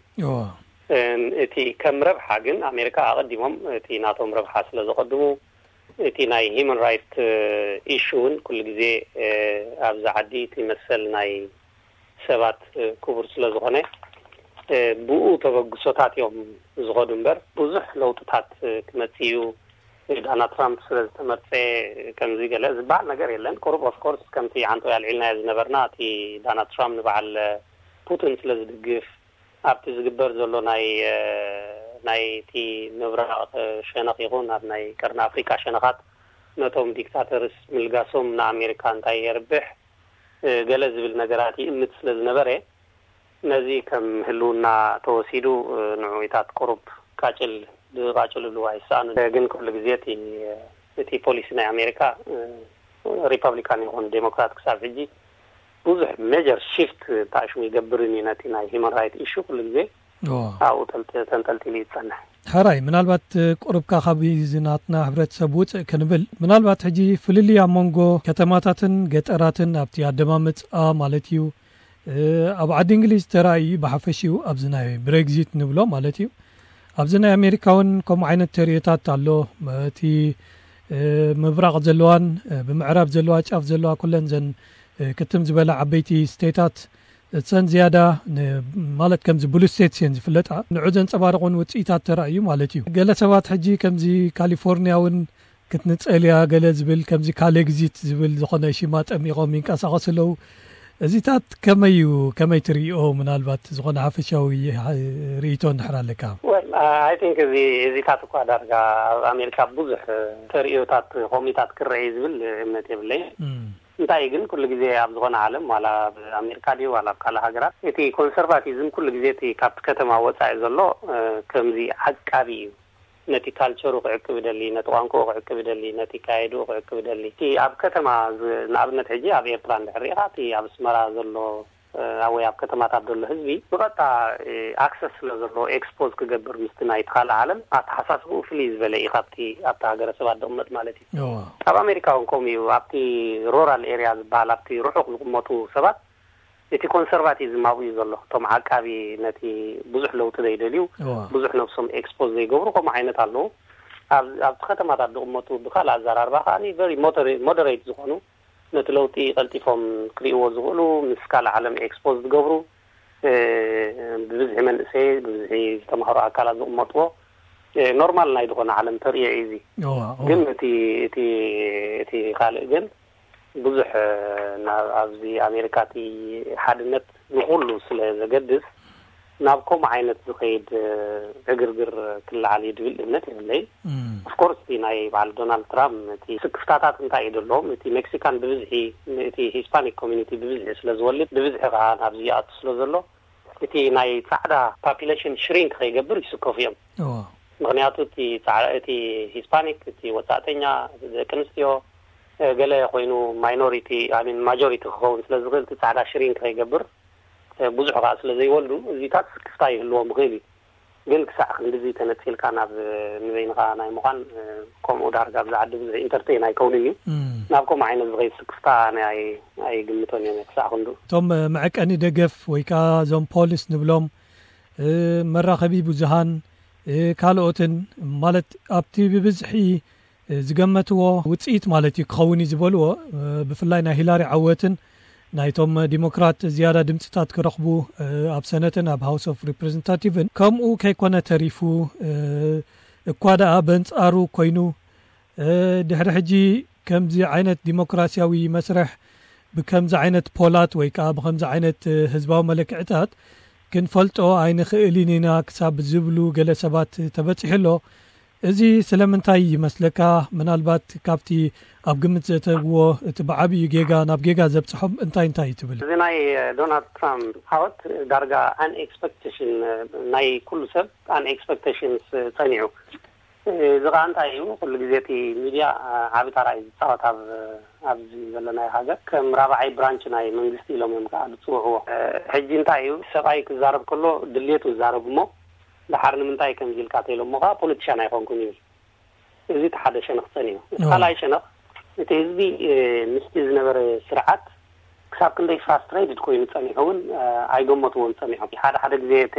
እቲ ከም ረብሓ ግን ኣሜሪካ ኣቐዲሞም እቲ ናቶም ረብሓ ስለ ዘቐድሙ፣ እቲ ናይ ሂማን ራይት ኢሹ እውን ኩሉ ግዜ ኣብዚ ዓዲ እቲ መሰል ናይ ሰባት ክቡር ስለ ዝኾነ፣ ብኡ ተበግሶታት እዮም ዝኸዱ እምበር ብዙሕ ለውጥታት ክመጽእ እዩ። ዳናልድ ትራምፕ ስለ ዝተመርጸ ከምዚ ገለ ዝበሃል ነገር የለን። ቁሩብ ኦፍኮርስ ከምቲ ዓንቶ ያልዒልናዮ ዝነበርና፣ እቲ ዳናልድ ትራምፕ ንበዓል ፑቲን ስለ ዝድግፍ፣ ኣብቲ ዝግበር ዘሎ ናይ ናይቲ ምብራቕ ሸነኽ ይኹን ኣብ ናይ ቀርኒ ኣፍሪቃ ሸነኻት ነቶም ዲክታተርስ ምልጋሶም ንኣሜሪካ እንታይ የርብሕ ገለ ዝብል ነገራት ይእምት ስለ ዝነበረ፣ ነዚ ከም ህልውና ተወሲዱ ንዕውታት ቁሩብ ቃጭል ዝቃጭልሉ ኣይሰኣኑን። ግን ኩሉ ግዜ እቲ እቲ ፖሊሲ ናይ ኣሜሪካ ሪፐብሊካን ይኹን ዴሞክራት ክሳብ ሕጂ ብዙሕ ሜጀር ሺፍት ታሽሙ ይገብርን እዩ። ነቲ ናይ ሂማን ራይት ኢሹ ኩሉ ግዜ ኣብኡ ተንጠልጢሉ ይጸንሕ። ሕራይ፣ ምናልባት ቁርብካ ካብ እዚ ናትና ሕብረተሰብ ውፅእ ክንብል፣ ምናልባት ሕጂ ፍልልይ ኣብ መንጎ ከተማታትን ገጠራትን ኣብቲ ኣደማመፅኣ ማለት እዩ፣ ኣብ ዓዲ እንግሊዝ ተራእዩ ብሓፈሽኡ ኣብዚ ናይ ብሬግዚት ንብሎ ማለት እዩ። ኣብዚ ናይ ኣሜሪካ እውን ከምኡ ዓይነት ተርእዮታት ኣሎ። እቲ ምብራቕ ዘለዋን ብምዕራብ ዘለዋ ጫፍ ዘለዋ ኩለን ዘን ክትም ዝበላ ዓበይቲ ስቴታት እተን ዝያዳ ማለት ከምዚ ብሉ ስቴትስ እየን ዝፍለጣ፣ ንዑ ዘንጸባርቑን ውፅኢታት ተራእዩ ማለት እዩ። ገለ ሰባት ሕጂ ከምዚ ካሊፎርኒያ እውን ክትንጸል እያ ገለ ዝብል፣ ከምዚ ካሌግዚት ዝብል ዝኾነ ሽማ ጠሚቖም ይንቀሳቐሱ ኣለዉ። እዚታት ከመይ እዩ፣ ከመይ ትርእዮ? ምናልባት ዝኾነ ሓፈሻዊ ርእይቶ እንድሕር ኣለካ። ወል ኣይ ቲንክ እዚ እዚታት እኳ ዳርጋ ኣብ ኣሜሪካ ብዙሕ ተርእዮታት ከምኡታት ክረአ እዩ ዝብል እምነት የብለይን። እንታይ ግን ኩሉ ግዜ ኣብ ዝኾነ ዓለም ዋላ ኣብ ኣሜሪካ ድዩ ዋላ ኣብ ካልእ ሃገራት እቲ ኮንሰርቫቲዝም ኩሉ ግዜ እቲ ካብቲ ከተማ ወፃኢ ዘሎ ከምዚ ዓቃቢ እዩ። ነቲ ካልቸሩ ክዕቅብ ይደሊ፣ ነቲ ቋንቋኡ ክዕቅብ ይደሊ፣ ነቲ ካየድኡ ክዕቅብ ይደሊ። እቲ ኣብ ከተማ ንኣብነት ሕጂ ኣብ ኤርትራ እንድሕር ሪኢኻ እቲ ኣብ ኣስመራ ዘሎ ወይ ኣብ ከተማታት ዘሎ ህዝቢ ብቐጥታ ኣክሰስ ስለ ዘለዎ ኤክስፖዝ ክገብር ምስቲ ናይቲ ካልእ ዓለም ኣተሓሳስብኡ ፍልይ ዝበለ እዩ ካብቲ ኣብቲ ሃገረሰብ ኣደቕመጥ ማለት እዩ። ኣብ ኣሜሪካ እውን ከምኡ እዩ። ኣብቲ ሮራል ኤርያ ዝበሃል ኣብቲ ርሑቕ ዝቕመጡ ሰባት እቲ ኮንሰርቫቲዝም ኣብኡ እዩ ዘሎ። እቶም ዓቃቢ ነቲ ብዙሕ ለውጢ ዘይደልዩ ብዙሕ ነብሶም ኤክስፖዝ ዘይገብሩ ከምኡ ዓይነት ኣለዉ። ኣብቲ ከተማታት ዝቕመጡ ብካልእ ኣዘራርባ ከዓ ቨሪ ሞደሬት ዝኾኑ ነቲ ለውጢ ቀልጢፎም ክርእይዎ ዝኽእሉ ምስ ካልእ ዓለም ኤክስፖዝ ዝገብሩ ብብዝሒ መንእሰይ ብብዝሒ ዝተማህሩ ኣካላት ዝቕመጥዎ ኖርማል ናይ ዝኾነ ዓለም ተርእዮ እዩ። እዚ ግን እቲ እቲ እቲ ካልእ ግን ብዙሕ ናብ ኣብዚ ኣሜሪካ እቲ ሓድነት ንኹሉ ስለ ዘገድስ ናብ ከምኡ ዓይነት ዝኸይድ ዕግርግር ክለዓል እዩ ድብል እምነት የብለይ። ኦፍኮርስ እቲ ናይ በዓል ዶናልድ ትራምፕ እቲ ስክፍታታት እንታይ እዩ ዘለዎም? እቲ ሜክሲካን ብብዝሒ፣ እቲ ሂስፓኒክ ኮሚኒቲ ብብዝሒ ስለ ዝወልድ፣ ብብዝሒ ከዓ ናብዚ ይኣቱ ስለ ዘሎ፣ እቲ ናይ ፃዕዳ ፓፒሌሽን ሽሪንክ ከይገብር ይስከፉ እዮም። ምክንያቱ እቲ ሂስፓኒክ፣ እቲ ወፃእተኛ፣ ደቂ ኣንስትዮ፣ ገለ ኮይኑ ማይኖሪቲ ሚን ማጆሪቲ ክኸውን ስለ ዝኽእል፣ እቲ ፃዕዳ ሽሪንክ ከይገብር፣ ብዙሕ ከዓ ስለ ዘይወልዱ፣ እዚታት ስክፍታ ይህልዎም ይኽእል እዩ። ግን ክሳዕ ክንድዚ ተነፂልካ ናብ ንበይንኻ ናይ ምዃን፣ ከምኡ ዳርጋ ኣብዚ ዓዲ ብዙሕ ኢንተርቴን ኣይከውንን እዩ። ናብ ከምኡ ዓይነት ዝኸይድ ስክፍታ ኣነ ኣይግምቶን እዮም ክሳዕ ክንዱ። እቶም መዐቀኒ ደገፍ ወይ ከዓ እዞም ፖሊስ ንብሎም፣ መራኸቢ ብዙሃን፣ ካልኦትን፣ ማለት ኣብቲ ብብዝሒ ዝገመትዎ ውፅኢት ማለት እዩ ክኸውን እዩ ዝበልዎ፣ ብፍላይ ናይ ሂላሪ ዓወትን ናይቶም ዲሞክራት ዝያዳ ድምፅታት ክረኽቡ ኣብ ሰነትን ኣብ ሃውስ ኦፍ ሪፕሬዘንታቲቭን ከምኡ ከይኮነ ተሪፉ፣ እኳ ደኣ በንፃሩ ኮይኑ፣ ድሕሪ ሕጂ ከምዚ ዓይነት ዲሞክራሲያዊ መስርሕ ብከምዚ ዓይነት ፖላት ወይ ከዓ ብከምዚ ዓይነት ህዝባዊ መለክዕታት ክንፈልጦ ኣይንኽእልን ኢና ክሳብ ዝብሉ ገለ ሰባት ተበፂሑ ኣሎ። እዚ ስለምንታይ ይመስለካ? ምናልባት ካብቲ ኣብ ግምት ዘእተውዎ እቲ ብዓብዩ ጌጋ ናብ ጌጋ ዘብፅሖም እንታይ እንታይ እዩ ትብል? እዚ ናይ ዶናልድ ትራምፕ ዓወት ዳርጋ ኣን ኤክስፐክቴሽን፣ ናይ ኩሉ ሰብ ኣን ኤክስፐክቴሽንስ ጸኒዑ። እዚ ከዓ እንታይ እዩ? ኩሉ ግዜ እቲ ሚድያ ዓቢ ታራ እዩ ዝፃወት ኣብ ኣብዚ ዘለናዮ ሃገር። ከም ራብዓይ ብራንች ናይ መንግስቲ ኢሎም እዮም ከዓ ዝፅውዕዎ። ሕጂ እንታይ እዩ? ሰብኣይ ክዛረብ ከሎ ድሌቱ ዝዛረብ እሞ፣ ደሓር ንምንታይ ከምዚ ኢልካ ተይሎሞ ከዓ ፖለቲሻን ኣይኮንኩን ይብል። እዚ እቲ ሓደ ሸነኽ ጸኒሑ። እቲ ካልኣይ ሸነኽ፣ እቲ ህዝቢ ምስቲ ዝነበረ ስርዓት ክሳብ ክንደይ ፍራስትሬትድ ኮይኑ ጸኒሑ እውን ኣይገመትዎን ጸኒሖም። ሓደ ሓደ ግዜ እቲ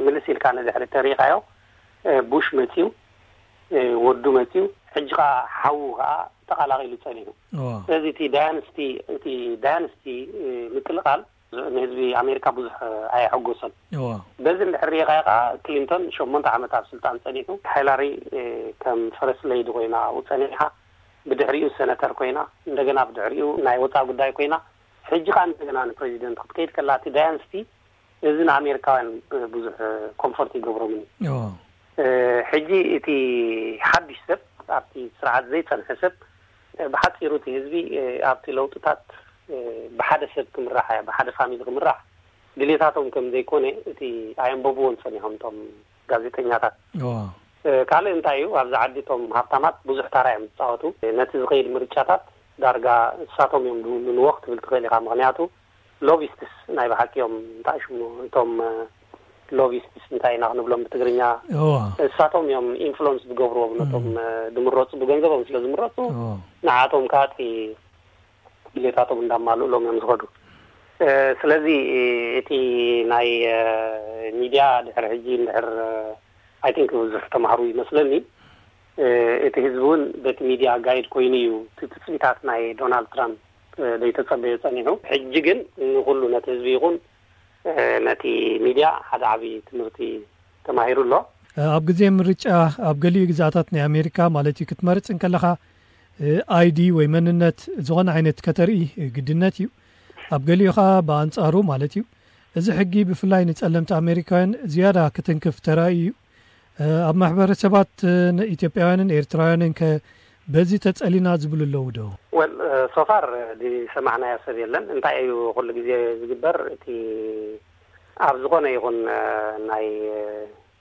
ምልስ ኢልካ ንድሕሪ ተሪኢኻዮ፣ ቡሽ መጺኡ፣ ወዱ መጺኡ፣ ሕጂ ከዓ ሓዉ ከዓ ተቐላቒሉ ጸኒሑ። ስለዚ እቲ ዳያንስቲ፣ እቲ ዳያንስቲ ምቅልቓል ንህዝቢ ኣሜሪካ ብዙሕ ኣየሐጎሰን። በዚ እንድሕር ሪኢኻዮ ከዓ ክሊንቶን ሸሞንተ ዓመት ኣብ ስልጣን ጸኒሑ፣ ሂላሪ ከም ፈረስ ለይዲ ኮይና ኣብኡ ጸኒሓ፣ ብድሕሪኡ ሰነተር ኮይና፣ እንደገና ብድሕሪኡ ናይ ወፃኢ ጉዳይ ኮይና፣ ሕጂ ከዓ እንደገና ንፕሬዚደንት ክትከይድ ከላ፣ እቲ ዳያንስቲ እዚ ንኣሜሪካውያን ብዙሕ ኮምፎርት ይገብሮምን እዩ። ሕጂ እቲ ሓድሽ ሰብ፣ ኣብቲ ስርዓት ዘይጸንሐ ሰብ፣ ብሓጺሩ እቲ ህዝቢ ኣብቲ ለውጥታት ብሓደ ሰብ ክምራሕ፣ ብሓደ ፋሚሊ ክምራሕ ድሌታቶም ከም ዘይኮነ እቲ ኣየንበብዎን ጸኒሖም እቶም ጋዜጠኛታት። ካልእ እንታይ እዩ፣ ኣብዚ ዓዲ እቶም ሃብታማት ብዙሕ ታራ እዮም ዝፃወቱ። ነቲ ዝኸይድ ምርጫታት ዳርጋ እሳቶም እዮም ዝውንንዎ ክትብል ትኽእል ኢኻ። ምክንያቱ ሎቢስትስ ናይ ብሓቂ እዮም። እንታይ ሽሙ እቶም ሎቢስትስ እንታይ ኢና ክንብሎም ብትግርኛ? እሳቶም እዮም ኢንፍሉንስ ዝገብርዎም ነቶም ድምረፁ፣ ብገንዘቦም ስለ ዝምረፁ ንዓቶም ከዓ እቲ ድሌታቶም እንዳማልእሎም እዮም ዝኸዱ። ስለዚ እቲ ናይ ሚድያ ድሕሪ ሕጂ እንድሕር ኣይ ቲንክ ብዙሕ ተማሃሩ ይመስለኒ። እቲ ህዝቢ እውን በቲ ሚድያ ጋይድ ኮይኑ እዩ እቲ ትፅቢታት ናይ ዶናልድ ትራምፕ ዘይተፀበዮ ጸኒሑ። ሕጂ ግን ንኩሉ ነቲ ህዝቢ ይኹን ነቲ ሚድያ ሓደ ዓብዪ ትምህርቲ ተማሂሩ ኣሎ። ኣብ ግዜ ምርጫ ኣብ ገሊኡ ግዝኣታት ናይ ኣሜሪካ ማለት እዩ ክትመርጽ እንከለኻ ኣይዲ ወይ መንነት ዝኾነ ዓይነት ከተርኢ ግድነት እዩ። ኣብ ገሊኡ ኸኣ ብኣንጻሩ ማለት እዩ። እዚ ሕጊ ብፍላይ ንጸለምቲ ኣሜሪካውያን ዝያዳ ክትንክፍ ተራእዩ እዩ። ኣብ ማሕበረሰባት ኢትዮጵያውያንን ኤርትራውያንን ከ በዚ ተጸሊና ዝብሉ ኣለዉ ዶ? ወል ሶፋር ዝሰማዕናዮ ሰብ የለን። እንታይ እዩ ኩሉ ግዜ ዝግበር? እቲ ኣብ ዝኾነ ይኹን ናይ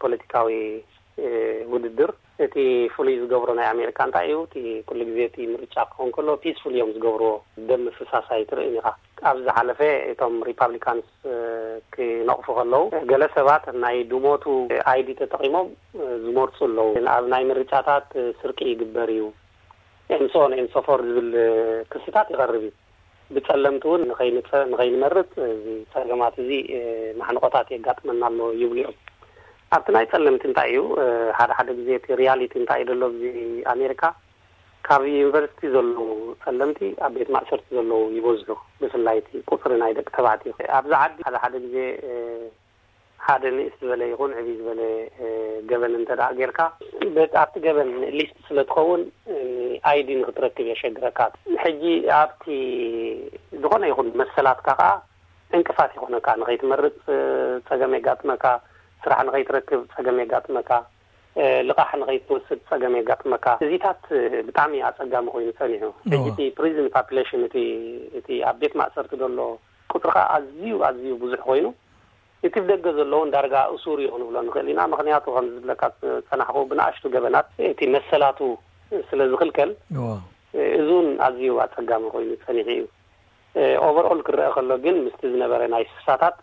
ፖለቲካዊ ውድድር እቲ ፍሉይ ዝገብሮ ናይ ኣሜሪካ እንታይ እዩ? እቲ ኩሉ ግዜ እቲ ምርጫ ክኸውን ከሎ ፒስፉል እዮም ዝገብርዎ። ደም ምፍሳስ ኣይትርእን ኢኻ። ኣብ ዝሓለፈ እቶም ሪፓብሊካንስ ክነቕፉ ከለዉ፣ ገለ ሰባት ናይ ድሞቱ ኣይዲ ተጠቒሞም ዝመርፁ ኣለዉ። ኣብ ናይ ምርጫታት ስርቂ ይግበር እዩ፣ ኤምሶን ኤምሶፎር ዝብል ክስታት ይቐርብ እዩ። ብፀለምቲ እውን ንኸይንፀ-፣ ንኸይንመርፅ እዚ ፀገማት እዚ ማሕንቆታት የጋጥመና ኣሎ ይብሉ እዮም። ኣብቲ ናይ ፀለምቲ እንታይ እዩ፣ ሓደ ሓደ ግዜ እቲ ሪያሊቲ እንታይ እዩ ዘሎ ኣብዚ ኣሜሪካ፣ ካብ ዩኒቨርሲቲ ዘለዉ ፀለምቲ ኣብ ቤት ማእሰርቲ ዘለዉ ይበዝሑ፣ ብፍላይ እቲ ቁፅሪ ናይ ደቂ ተባዕትዮ። ኣብዚ ዓዲ ሓደ ሓደ ግዜ ሓደ ንእስ ዝበለ ይኹን ዕብይ ዝበለ ገበን እንተ ደኣ ጌርካ፣ በቲ ኣብቲ ገበን ሊስት ስለ ትኸውን፣ ኣይዲ ንኽትረክብ የሸግረካ። ሕጂ ኣብቲ ዝኾነ ይኹን መሰላትካ ከኣ ዕንቅፋት ይኾነካ፣ ንኸይትመርጽ ጸገም የጋጥመካ፣ ስራሕ ንኸይትረክብ ጸገም የጋጥመካ፣ ልቓሕ ንኸይትወስድ ጸገም የጋጥመካ። እዚታት ብጣዕሚ ኣጸጋሚ ኮይኑ ጸኒሑ። ሕጂ እቲ ፕሪዝን ፓፕሌሽን እቲ እቲ ኣብ ቤት ማእሰርቲ ዘሎ ቁጽሪ ከኣ ኣዝዩ ኣዝዩ ብዙሕ ኮይኑ፣ እቲ ብደገ ዘለውን ዳርጋ እሱር እዩ ክንብሎ ንኽእል ኢና። ምኽንያቱ ከም ዝብለካ ዝጸናሕኩ ብንኣሽቱ ገበናት እቲ መሰላቱ ስለ ዝኽልከል፣ እዚ እውን ኣዝዩ ኣጸጋሚ ኮይኑ ጸኒሑ እዩ። ኦቨርኦል ክረአ ከሎ ግን ምስቲ ዝነበረ ናይ ስሳታት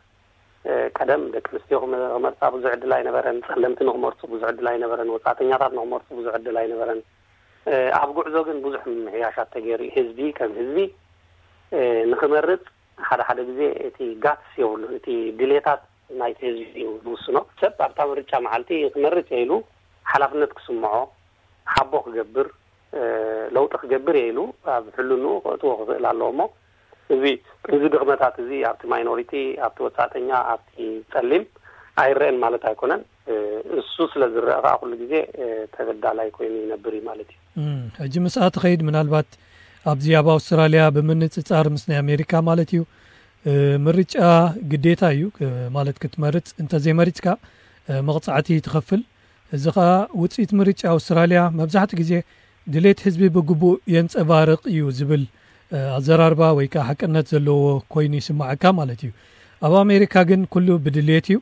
ቀደም ደቂ ኣንስትዮ ክመርፃ ብዙሕ ዕድል ኣይነበረን። ፀለምቲ ንክመርፁ ብዙሕ ዕድል ኣይነበረን። ወፃእተኛታት ንክመርፁ ብዙሕ ዕድል ኣይነበረን። ኣብ ጉዕዞ ግን ብዙሕ ምምሕያሻት ተገይሩ እዩ። ህዝቢ ከም ህዝቢ ንክመርፅ ሓደ ሓደ ግዜ እቲ ጋትስ የብሉን። እቲ ድሌታት ናይቲ ህዝቢ እዩ ዝውስኖ። ሰብ ኣብታ ምርጫ መዓልቲ ክመርፅ እየ ኢሉ ሓላፍነት ክስምዖ፣ ሓቦ ክገብር፣ ለውጢ ክገብር እየ ኢሉ ኣብ ሕልንኡ ከእትዎ ክኽእል ኣለዎ። እሞ እዚ እዚ ድኽመታት እዚ ኣብቲ ማይኖሪቲ፣ ኣብቲ ወጻእተኛ፣ ኣብቲ ጸሊም ኣይረአን ማለት ኣይኮነን። እሱ ስለ ዝረአ ከዓ ኩሉ ግዜ ተበዳላይ ኮይኑ ይነብር እዩ ማለት እዩ። ሕጂ ምስኣ ትኸይድ ምናልባት ኣብዚ ኣብ ኣውስትራልያ ብምንጽጻር ምስ ናይ ኣሜሪካ ማለት እዩ ምርጫ ግዴታ እዩ ማለት ክትመርጽ እንተዘይመሪጽካ መቕጻዕቲ ትኸፍል። እዚ ኸኣ ውጽኢት ምርጫ ኣውስትራልያ መብዛሕትኡ ግዜ ድሌት ህዝቢ ብግቡእ የንጸባርቕ እዩ ዝብል ኣዘራርባ ወይ ከኣ ሓቅነት ዘለዎ ኮይኑ ይስምዓካ ማለት እዩ። ኣብ ኣሜሪካ ግን ኩሉ ብድሌት እዩ።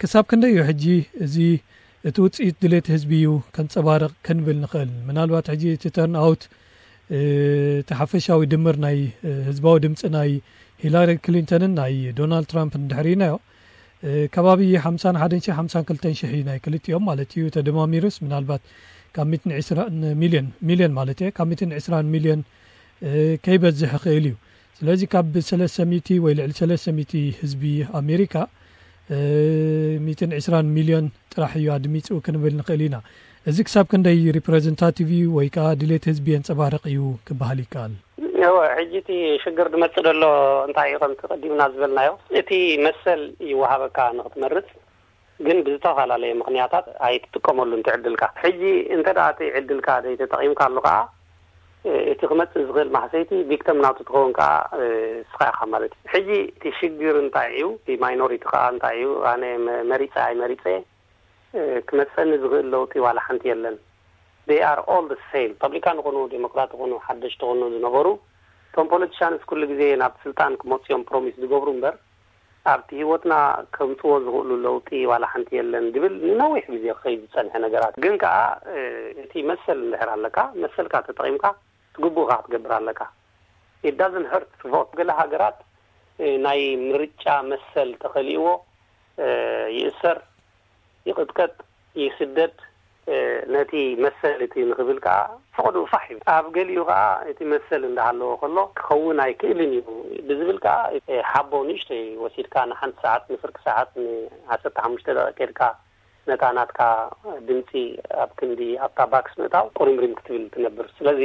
ክሳብ ክንደይ እዩ ሕጂ እዚ እቲ ውጽኢት ድሌት ህዝቢ እዩ ከንጸባርቕ ክንብል ንኽእል? ምናልባት ሕጂ እቲ ተርን ኣውት እቲ ሓፈሻዊ ድምር ናይ ህዝባዊ ድምፂ ናይ ሂላሪ ክሊንተንን ናይ ዶናልድ ትራምፕን እንድሕር ኢናዮ ከባቢ ሓምሳን ሓደን ሺሕ ሓምሳን ክልተን ሺሕ እዩ ናይ ክልቲኦም ማለት እዩ። ተደማሚሩስ ምናልባት ካብ ሚትን ዕስራን ሚልዮን፣ ሚልዮን ማለት እየ፣ ካብ ሚትን ዕስራን ሚልዮን ከይበዝሕ ይኽእል እዩ። ስለዚ ካብ ሰለስተ ሚእቲ ወይ ልዕሊ ሰለስተ ሚእቲ ህዝቢ ኣሜሪካ ሚትን ዕስራን ሚልዮን ጥራሕ እዩ ኣድሚፁ ክንብል ንኽእል ኢና። እዚ ክሳብ ክንደይ ሪፕረዘንታቲቭ እዩ ወይ ከዓ ድሌት ህዝቢ የንፀባርቕ እዩ ክበሃል ይከኣል? እወ፣ ሕጂ እቲ ሽግር ዝመጽእ ዘሎ እንታይ እዩ? ከምቲ ቀዲምና ዝበልናዮ፣ እቲ መሰል ይወሃበካ ንኽትመርጽ፣ ግን ብዝተፈላለየ ምኽንያታት ኣይትጥቀመሉን ትዕድልካ። ሕጂ እንተ ደኣ እቲ ዕድልካ ዘይተጠቒምካሉ ከኣ፣ እቲ ክመጽእ ዝኽእል ማህሰይቲ ቪክተም ናቱ ትኸውን ከኣ እስኻ ኢኻ ማለት እዩ። ሕጂ እቲ ሽግር እንታይ እዩ? እቲ ማይኖሪቲ ከኣ እንታይ እዩ? ኣነ መ-፣ መሪጸ ኣይመሪጸ፣ ክመጸኒ ዝኽእል ለውጢ ዋላ ሓንቲ የለን። They are all the same። ሪፓብሊካን ይኹኑ፣ ዴሞክራት ይኹኑ፣ ሓደሽቲ ይኹኑ ዝነበሩ፣ እቶም ፖለቲሻንስ ኩሉ ግዜ ናብ ስልጣን ክመጹ እዮም ፕሮሚስ ዝገብሩ እምበር፣ ኣብቲ ህይወትና ከምጽዎ ዝኽእሉ ለውጢ ዋላ ሓንቲ የለን ዝብል ንነዊሕ ግዜ ክኸይድ ዝጸንሐ ነገራት። ግን ከኣ፣ እ፣ እቲ መሰል እንድሕር ኣለካ፣ መሰልካ ተጠቒምካ፣ ትግቡእካ ክትገብር ኣለካ። It doesn't hurt to vote። ገለ ሃገራት፣ እ፣ ናይ ምርጫ መሰል ተኸሊእዎ፣ እ፣ ይእሰር፣ ይቕጥቀጥ፣ ይስደድ፣ እ፣ ነቲ መሰል እቲ ንኽብል ከኣ ፈቐድኡ ፋሕ ይብል። ኣብ ገሊኡ ከኣ እቲ መሰል እንዳሃለወ ከሎ ክኸውን ኣይክእልን እዩ ብዝብል ከኣ፣ እ፣ ሓቦ ንእሽተይ ወሲድካ ንሓንቲ ሰዓት፣ ንፍርቂ ሰዓት፣ ንዓሰርተ ሓሙሽተ ደቂቕ ከድካ ነታ ናትካ ድምጺ ኣብ ክንዲ ኣብታ ባክስ ምእታው ቁሪምሪም ክትብል ትነብር። ስለዚ፣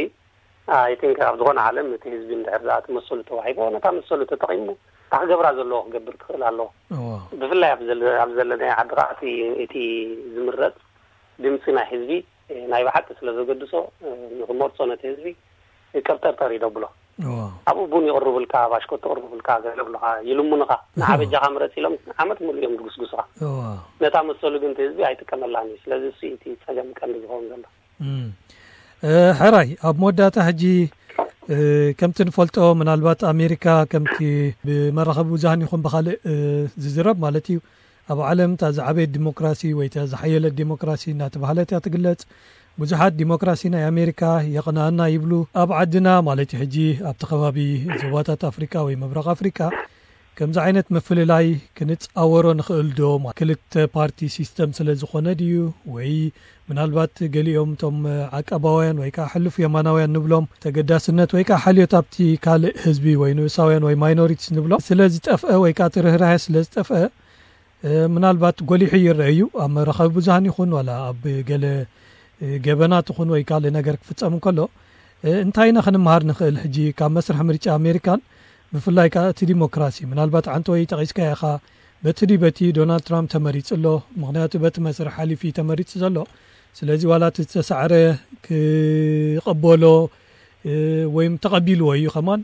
ኣይ ቲንክ ኣብ ዝኾነ ዓለም እቲ ህዝቢ እንድሕር ደኣ እቲ መሰሉ ተዋሂቦ፣ ነታ መሰሉ ተጠቒሙ፣ እታ ክገብራ ዘለዎ ክገብር ክኽእል ኣለዎ። እዎ። ብፍላይ ኣብ ዘለ-፣ ኣብ ዘለናዮ ዓዲ ከኣ እቲ፣ እቲ ዝምረጽ ድምጺ ናይ ህዝቢ፣ እ፣ ናይ ብሓቂ ስለ ዘገድሶ፣ እ፣ ንኽመርጾ ነቲ ህዝቢ፣ እ፣ ቀብጠርጠር እዩ ደብሎ። እዎ። ኣብኡ ቡን ይቕርቡልካ፣ ባሽኮት ይቕርቡልካ፣ ገለ ይብሉኻ፣ ይልምኑኻ። ንዓ እዎ። በጃኻ ምረጽ ኢሎም ዓመት ሙሉእ እዮም ዝጉስጉሱኻ። እዎ። ነታ መሰሉ ግን እቲ ህዝቢ ኣይጥቀመላን እዩ። ስለዚ እሱ እዩ እቲ ጸገም ቀንዲ ዝኸውን ዘሎ። እም። እ፣ ሕራይ፣ ኣብ መወዳእታ ሕጂ፣ እ፣ ከምቲ ንፈልጦ፣ ምናልባት ኣሜሪካ ከምቲ ብመራኸቢ ብዙሃን ይኹን ብኻልእ፣ እ፣ ዝዝረብ ማለት እዩ፣ ኣብ ዓለም እታ ዝዓበየት ዲሞክራሲ ወይ እታ ዝሓየለት ዲሞክራሲ እናተባህለት እያ ትግለጽ። ብዙሓት ዲሞክራሲ ናይ ኣሜሪካ የቕንኣና ይብሉ። ኣብ ዓድና ማለት እዩ ሕጂ ኣብቲ ከባቢ ዞባታት ኣፍሪቃ ወይ ምብራቕ ኣፍሪቃ ከምዚ ዓይነት ምፍልላይ ክንጻወሮ ንኽእል ዶ? ክልተ ፓርቲ ሲስተም ስለ ዝኾነ ድዩ? ወይ ምናልባት ገሊኦም እቶም ዓቃባውያን ወይ ከኣ ሕሉፍ የማናውያን ንብሎም ተገዳስነት ወይ ከኣ ሓልዮት ኣብቲ ካልእ ህዝቢ ወይ ንኡሳውያን ወይ ማይኖሪቲስ ንብሎም ስለ ዝጠፍአ ወይ ከኣ እቲ ርህራሄ ስለ ዝጠፍአ፣ እ፣ ምናልባት ጎሊሑ ይረአ እዩ። ኣብ መራኸቢ ብዙሃን ይኹን ዋላ ኣብ ገለ፣ እ፣ ገበናት ይኹን ወይ ካልእ ነገር ክፍጸም እንከሎ፣ እ፣ እንታይ ኢና ክንመሃር ንኽእል? ሕጂ ካብ መስርሕ ምርጫ ኣሜሪካን ብፍላይ ከኣ እቲ ዲሞክራሲ፣ ምናልባት ዓንተወይ ጠቒስካዮ ኢኻ፣ በቲ ድዩ በቲ ዶናልድ ትራምፕ ተመሪጹ ኣሎ። ምኽንያቱ በቲ መስርሕ ሓሊፉ እዩ ተመሪጹ ዘሎ። ስለዚ ዋላ እቲ ዝተሳዕረ ክቕበሎ፣ እ፣ ወይም ተቐቢልዎ እዩ ከማን።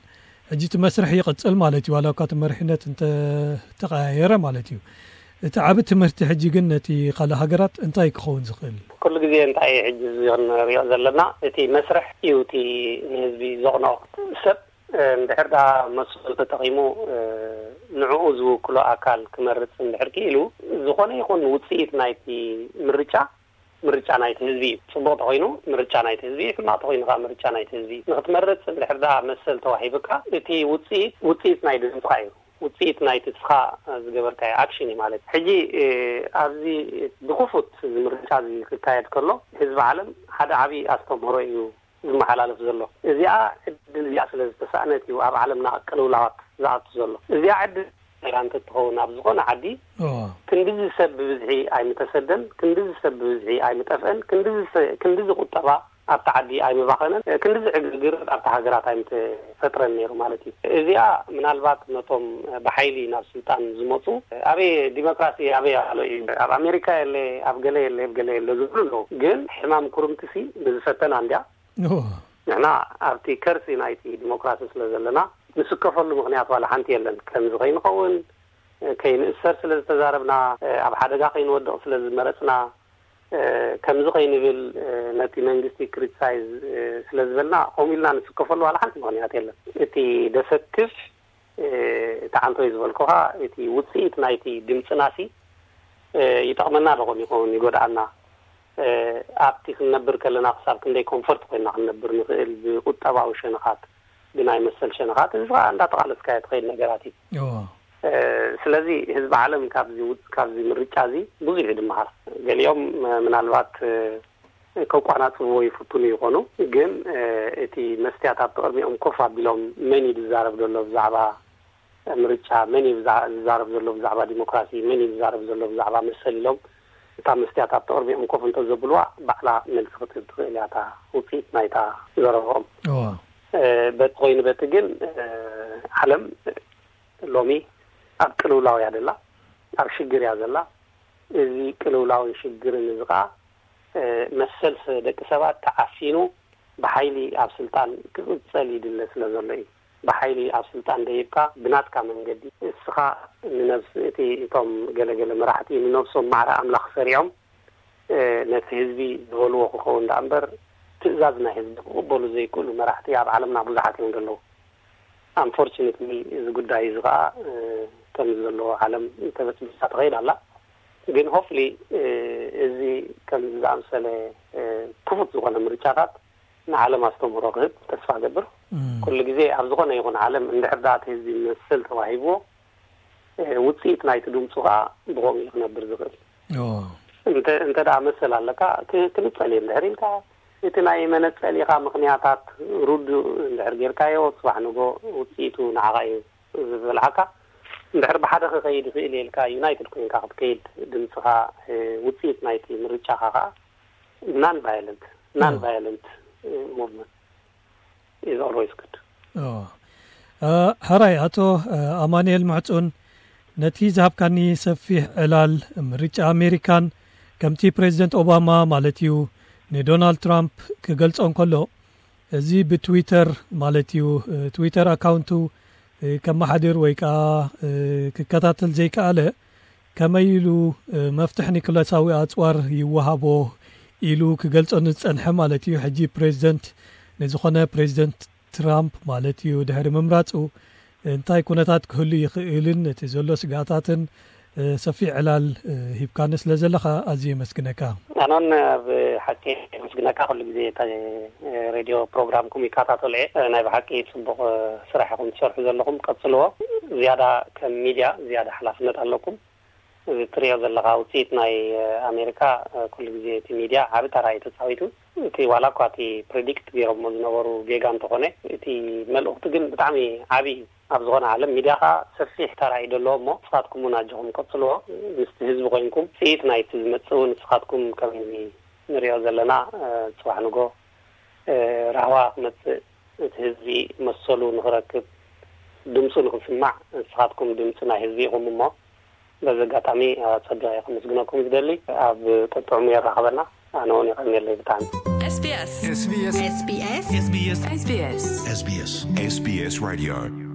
ሕጂ እቲ መስርሕ ይቕጽል ማለት እዩ፣ ዋላ እኳ እቲ መሪሕነት እንተተቐያየረ ማለት እዩ። እቲ ዓቢ ትምህርቲ ሕጂ ግን ነቲ ካልእ ሃገራት እንታይ ክኸውን ዝኽእል? ኩሉ ግዜ እንታይ ሕጂ እዚ ክንሪኦ ዘለና፣ እቲ መስርሕ እዩ እቲ ንህዝቢ ዘቕንኦ። ሰብ፣ እ፣ እንድሕር ደኣ መሰሉ ተጠቒሙ፣ እ፣ ንዕኡ ዝውክሎ ኣካል ክመርጽ እንድሕር ክኢሉ፣ ዝኾነ ይኹን ውጽኢት ናይቲ ምርጫ፣ ምርጫ ናይቲ ህዝቢ እዩ። ጽቡቕ ተኾይኑ ምርጫ ናይቲ ህዝቢ እዩ፣ ሕማቕ ተኾይኑ ከኣ ምርጫ ናይቲ ህዝቢ እዩ። ንኽትመርጽ እንድሕር ደኣ መሰል ተዋሂቡካ፣ እቲ ውጽኢት፣ ውጽኢት ናይ ድምጽኻ እዩ። ውጽኢት ናይቲ ንስኻ ዝገበርካዮ ኣክሽን እዩ ማለት። ሕጂ፣ እ፣ ኣብዚ ብክፉት እዚ ምርጫ እዚ ክካየድ ከሎ፣ ህዝቢ ዓለም ሓደ ዓቢ ኣስተምህሮ እዩ ዝመሓላለፍ ዘሎ። እዚኣ ዕድል እዚኣ ስለ ዝተሳእነት እዩ ኣብ ዓለምና ቅልውላዋት ዝኣቱ ዘሎ። እዚኣ ዕድል እንተትኸውን ኣብ ዝኾነ ዓዲ እዋ። ክንድዚ ሰብ ብብዝሒ ኣይምተሰደን፣ ክንድዚ ሰብ ብብዝሒ ኣይምጠፍአን፣ ክንድዚ ሰ-፣ ክንድዚ ቁጠባ ኣብቲ ዓዲ ኣይምባኸነን፣ ክንድዚ ዕግርግር ኣብቲ ሃገራት ኣይምተፈጥረን ነይሩ ማለት እዩ። እዚኣ ምናልባት ነቶም ብሓይሊ ናብ ስልጣን ዝመፁ፣ ኣበይ ዲሞክራሲ ኣበይ ኣሎ እዩ፣ ኣብ ኣሜሪካ የለ፣ ኣብ ገለ የለ፣ ኣብ ገለ የለ ዝብሉ ኣለዉ። ግን ሕማም ኩርምትሲ ንዝፈተና እንድያ። እዋ። ንሕና ኣብቲ ከርሲ ናይቲ ዲሞክራሲ ስለ ዘለና፣ ንስከፈሉ ምኽንያት ዋላ ሓንቲ የለን። ከምዚ ከይንኸውን፣ ከይንእሰር ስለ ዝተዛረብና፣ ኣብ ሓደጋ ከይንወድቕ ስለ ዝመረጽና፣ ከምዚ ከይንብል፣ ነቲ መንግስቲ ክሪቲሳይዝ ስለ ዝበልና፣ ከምኡ ኢልና ንስከፈሉ ዋላ ሓንቲ ምኽንያት የለን። እቲ ደሰክፍ፣ እቲ ዓንቶይ ዝበልኩኻ፣ እቲ ውጽኢት ናይቲ ድምጽናሲ፣ ይጠቕመና ዶ ኾን ይኸውን ይጎድኣና? ኣብቲ ክንነብር ከለና ክሳብ ክንደይ ኮምፎርት ኮይንና ክንነብር ንኽእል ብቁጠባዊ ሸነኻት፣ ብናይ መሰል ሸነኻት፣ እዚ ኸኣ እንዳተቓለስካዮ ትኸይድ ነገራት እዩ። እዎ። ስለዚ ህዝቢ ዓለም ካብዚ ውጽ-፣ ካብዚ ምርጫ እዚ ብዙሕ እዩ ድመሃር። ገሊኦም ምናልባት ከቋናጽብዎ ይፍትኑ ይኾኑ፣ ግን እቲ መስትያት ኣብቲ ቅድሚኦም ኮፍ ኣቢሎም መን እዩ ዝዛረብ ዘሎ ብዛዕባ ምርጫ፣ መን እዩ ብዛ-፣ ዝዛረብ ዘሎ ብዛዕባ ዲሞክራሲ፣ መን እዩ ዝዛረብ ዘሎ ብዛዕባ መሰል ኢሎም፣ እታ መስትያት ኣብቲ ቅድሚኦም ኮፍ እንተ ዘብልዋ፣ ባዕላ መልሲ ክትህብ ትኽእል እያ፣ እታ ውጽኢት ናይታ ዘረብኦም። እዋ። እ፣ በቲ ኮይኑ በቲ ግን፣ እ፣ ዓለም ሎሚ ኣብ ቅልውላው እያ ዘላ፣ ኣብ ሽግር እያ ዘላ። እዚ ቅልውላውን ሽግርን እዚ ኸኣ፣ እ፣ መሰል ሰ-፣ ደቂ ሰባት ተዓፊኑ ብሓይሊ ኣብ ስልጣን ክቕጸል ይድለ ስለ ዘሎ እዩ። ብሓይሊ ኣብ ስልጣን ደይብካ ብናትካ መንገዲ እስኻ ንነብስ-፣ እቲ፣ እቶም ገለገለ መራሕቲ ንነብሶም ማዕረ ኣምላኽ ሰሪዖም፣ እ፣ ነቲ ህዝቢ ዝበልዎ ክኸውን ደኣ እምበር ትእዛዝ ናይ ህዝቢ ክቕበሉ ዘይክእሉ መራሕቲ ኣብ ዓለምና ብዙሓት እዮም ዘለዉ። ኣንፎርቹኔትሊ እዚ ጉዳይ እዚ ኸኣ፣ እ፣ ከምዚ ዘለዎ ዓለም ተበጽቢጻ ትኸይድ ኣላ። ግን ሆፕሊ፣ እ፣ እዚ ከምዚ ዝኣምሰለ፣ እ፣ ክፉት ዝኾነ ምርጫታት ንዓለም ኣስተምህሮ ክህብ ተስፋ እገብር። እም። ኩሉ ግዜ ኣብ ዝኾነ ይኹን ዓለም እንድሕር ደኣ እቲ ህዝቢ መሰል ተዋሂብዎ፣ እ፣ ውጽኢት ናይቲ ድምጹ ከኣ ብኸምኡ እዩ ክነብር ዝኽእል። ኦ። እንተ፣ እንተ ደኣ መሰል ኣለካ፣ ክ-፣ ክንጸል እየ እንድሕር ኢልካ፣ እቲ ናይ መነጸሊኻ ምኽንያታት ርዱእ እንድሕር ጌርካዮ፣ ጽባሕ ንጎ ውጽኢቱ ንዓኻ እዩ ዝበልዓካ። እንድሕር ብሓደ ክኸይድ ይኽእል እየ ኢልካ፣ ዩናይትድ ኮይንካ ክትከይድ፣ ድምጽኻ፣ እ፣ ውጽኢት ናይቲ ምርጫኻ ከኣ non violent፣ non violent፣ እ፣ movement is always good። ኦ። እ፣ ሕራይ ኣቶ፣ እ፣ ኣማኑኤል ምሕጹን፣ ነቲ ዝሃብካኒ ሰፊሕ ዕላል ምርጫ ኣሜሪካን ከምቲ ፕሬዚደንት ኦባማ ማለት እዩ ንዶናልድ ትራምፕ ክገልጾ እንከሎ፣ እዚ ብትዊተር ማለት እዩ፣ እ፣ ትዊተር ኣካውንቱ፣ እ፣ ከመሓድር ወይ ከኣ፣ እ፣ ክከታተል ዘይከኣለ፣ ከመይ ኢሉ፣ እ፣ መፍትሕ ኒኩለሳዊ ኣጽዋር ይወሃቦ ኢሉ ክገልጾ ንዝጸንሐ ማለት እዩ። ሕጂ ፕሬዚደንት ንዝኾነ ፕሬዚደንት ትራምፕ ማለት እዩ ድሕሪ ምምራጹ እንታይ ኩነታት ክህሉ ይኽእልን እቲ ዘሎ ስግኣታትን፣ እ፣ ሰፊሕ ዕላል፣ እ፣ ሂብካኒ ስለ ዘለኻ ኣዝየ የመስግነካ። ኣነን ኣብ ሓቂ የመስግነካ። ኩሉ ግዜ እታ፣ እ፣ ሬድዮ ፕሮግራምኩም ይከታተሎ እየ። እ፣ ናይ ብሓቂ ጽቡቕ፣ እ፣ ስራሕ ኢኹም ትሰርሑ ዘለኹም፣ ቀጽልዎ። ዝያዳ ከም ሚድያ ዝያዳ ሓላፍነት ኣለኩም። እዚ እትሪኦ ዘለኻ ውጽኢት ናይ፣ እ፣ ኣሜሪካ፣ እ፣ ኩሉ ግዜ እቲ ሚድያ ዓቢ ተራ እዩ ተጻዊቱ። እቲ ዋላ እኳ እቲ ፕሪዲክት ገይሮሞ ዝነበሩ ጌጋ እንተኾነ፣ እቲ መልእኽቲ ግን ብጣዕሚ ዓቢ እዩ። ኣብ ዝኾነ ዓለም ሚድያ ኸኣ ሰፊሕ ተራ እዩ ዘለዎ እሞ፣ ንስኻትኩም እውን ኣጆኹም ቀጽልዎ። ምስቲ ህዝቢ ኮይንኩም ውጽኢት ናይቲ ዝመጽእ እውን ንስኻትኩም ከም ህዝቢ ንሪኦ ዘለና፣ እ፣ ጽባሕ ንጎ፣ እ፣ ራህዋ ክመጽእ፣ እቲ ህዝቢ መሰሉ ንኽረክብ፣ ድምጹ ንኽስማዕ፣ ንስኻትኩም ድምጺ ናይ ህዝቢ ኢኹም እሞ፣ በዚ ኣጋጣሚ ኣጸቢቐ እየ ከመስግነኩም ዝደሊ። ኣብ ጥዑም የራኽበና። ኣነ እውን የቐንየለይ ብጣዕሚ። SBS SBS SBS SBS SBS SBS SBS Radio.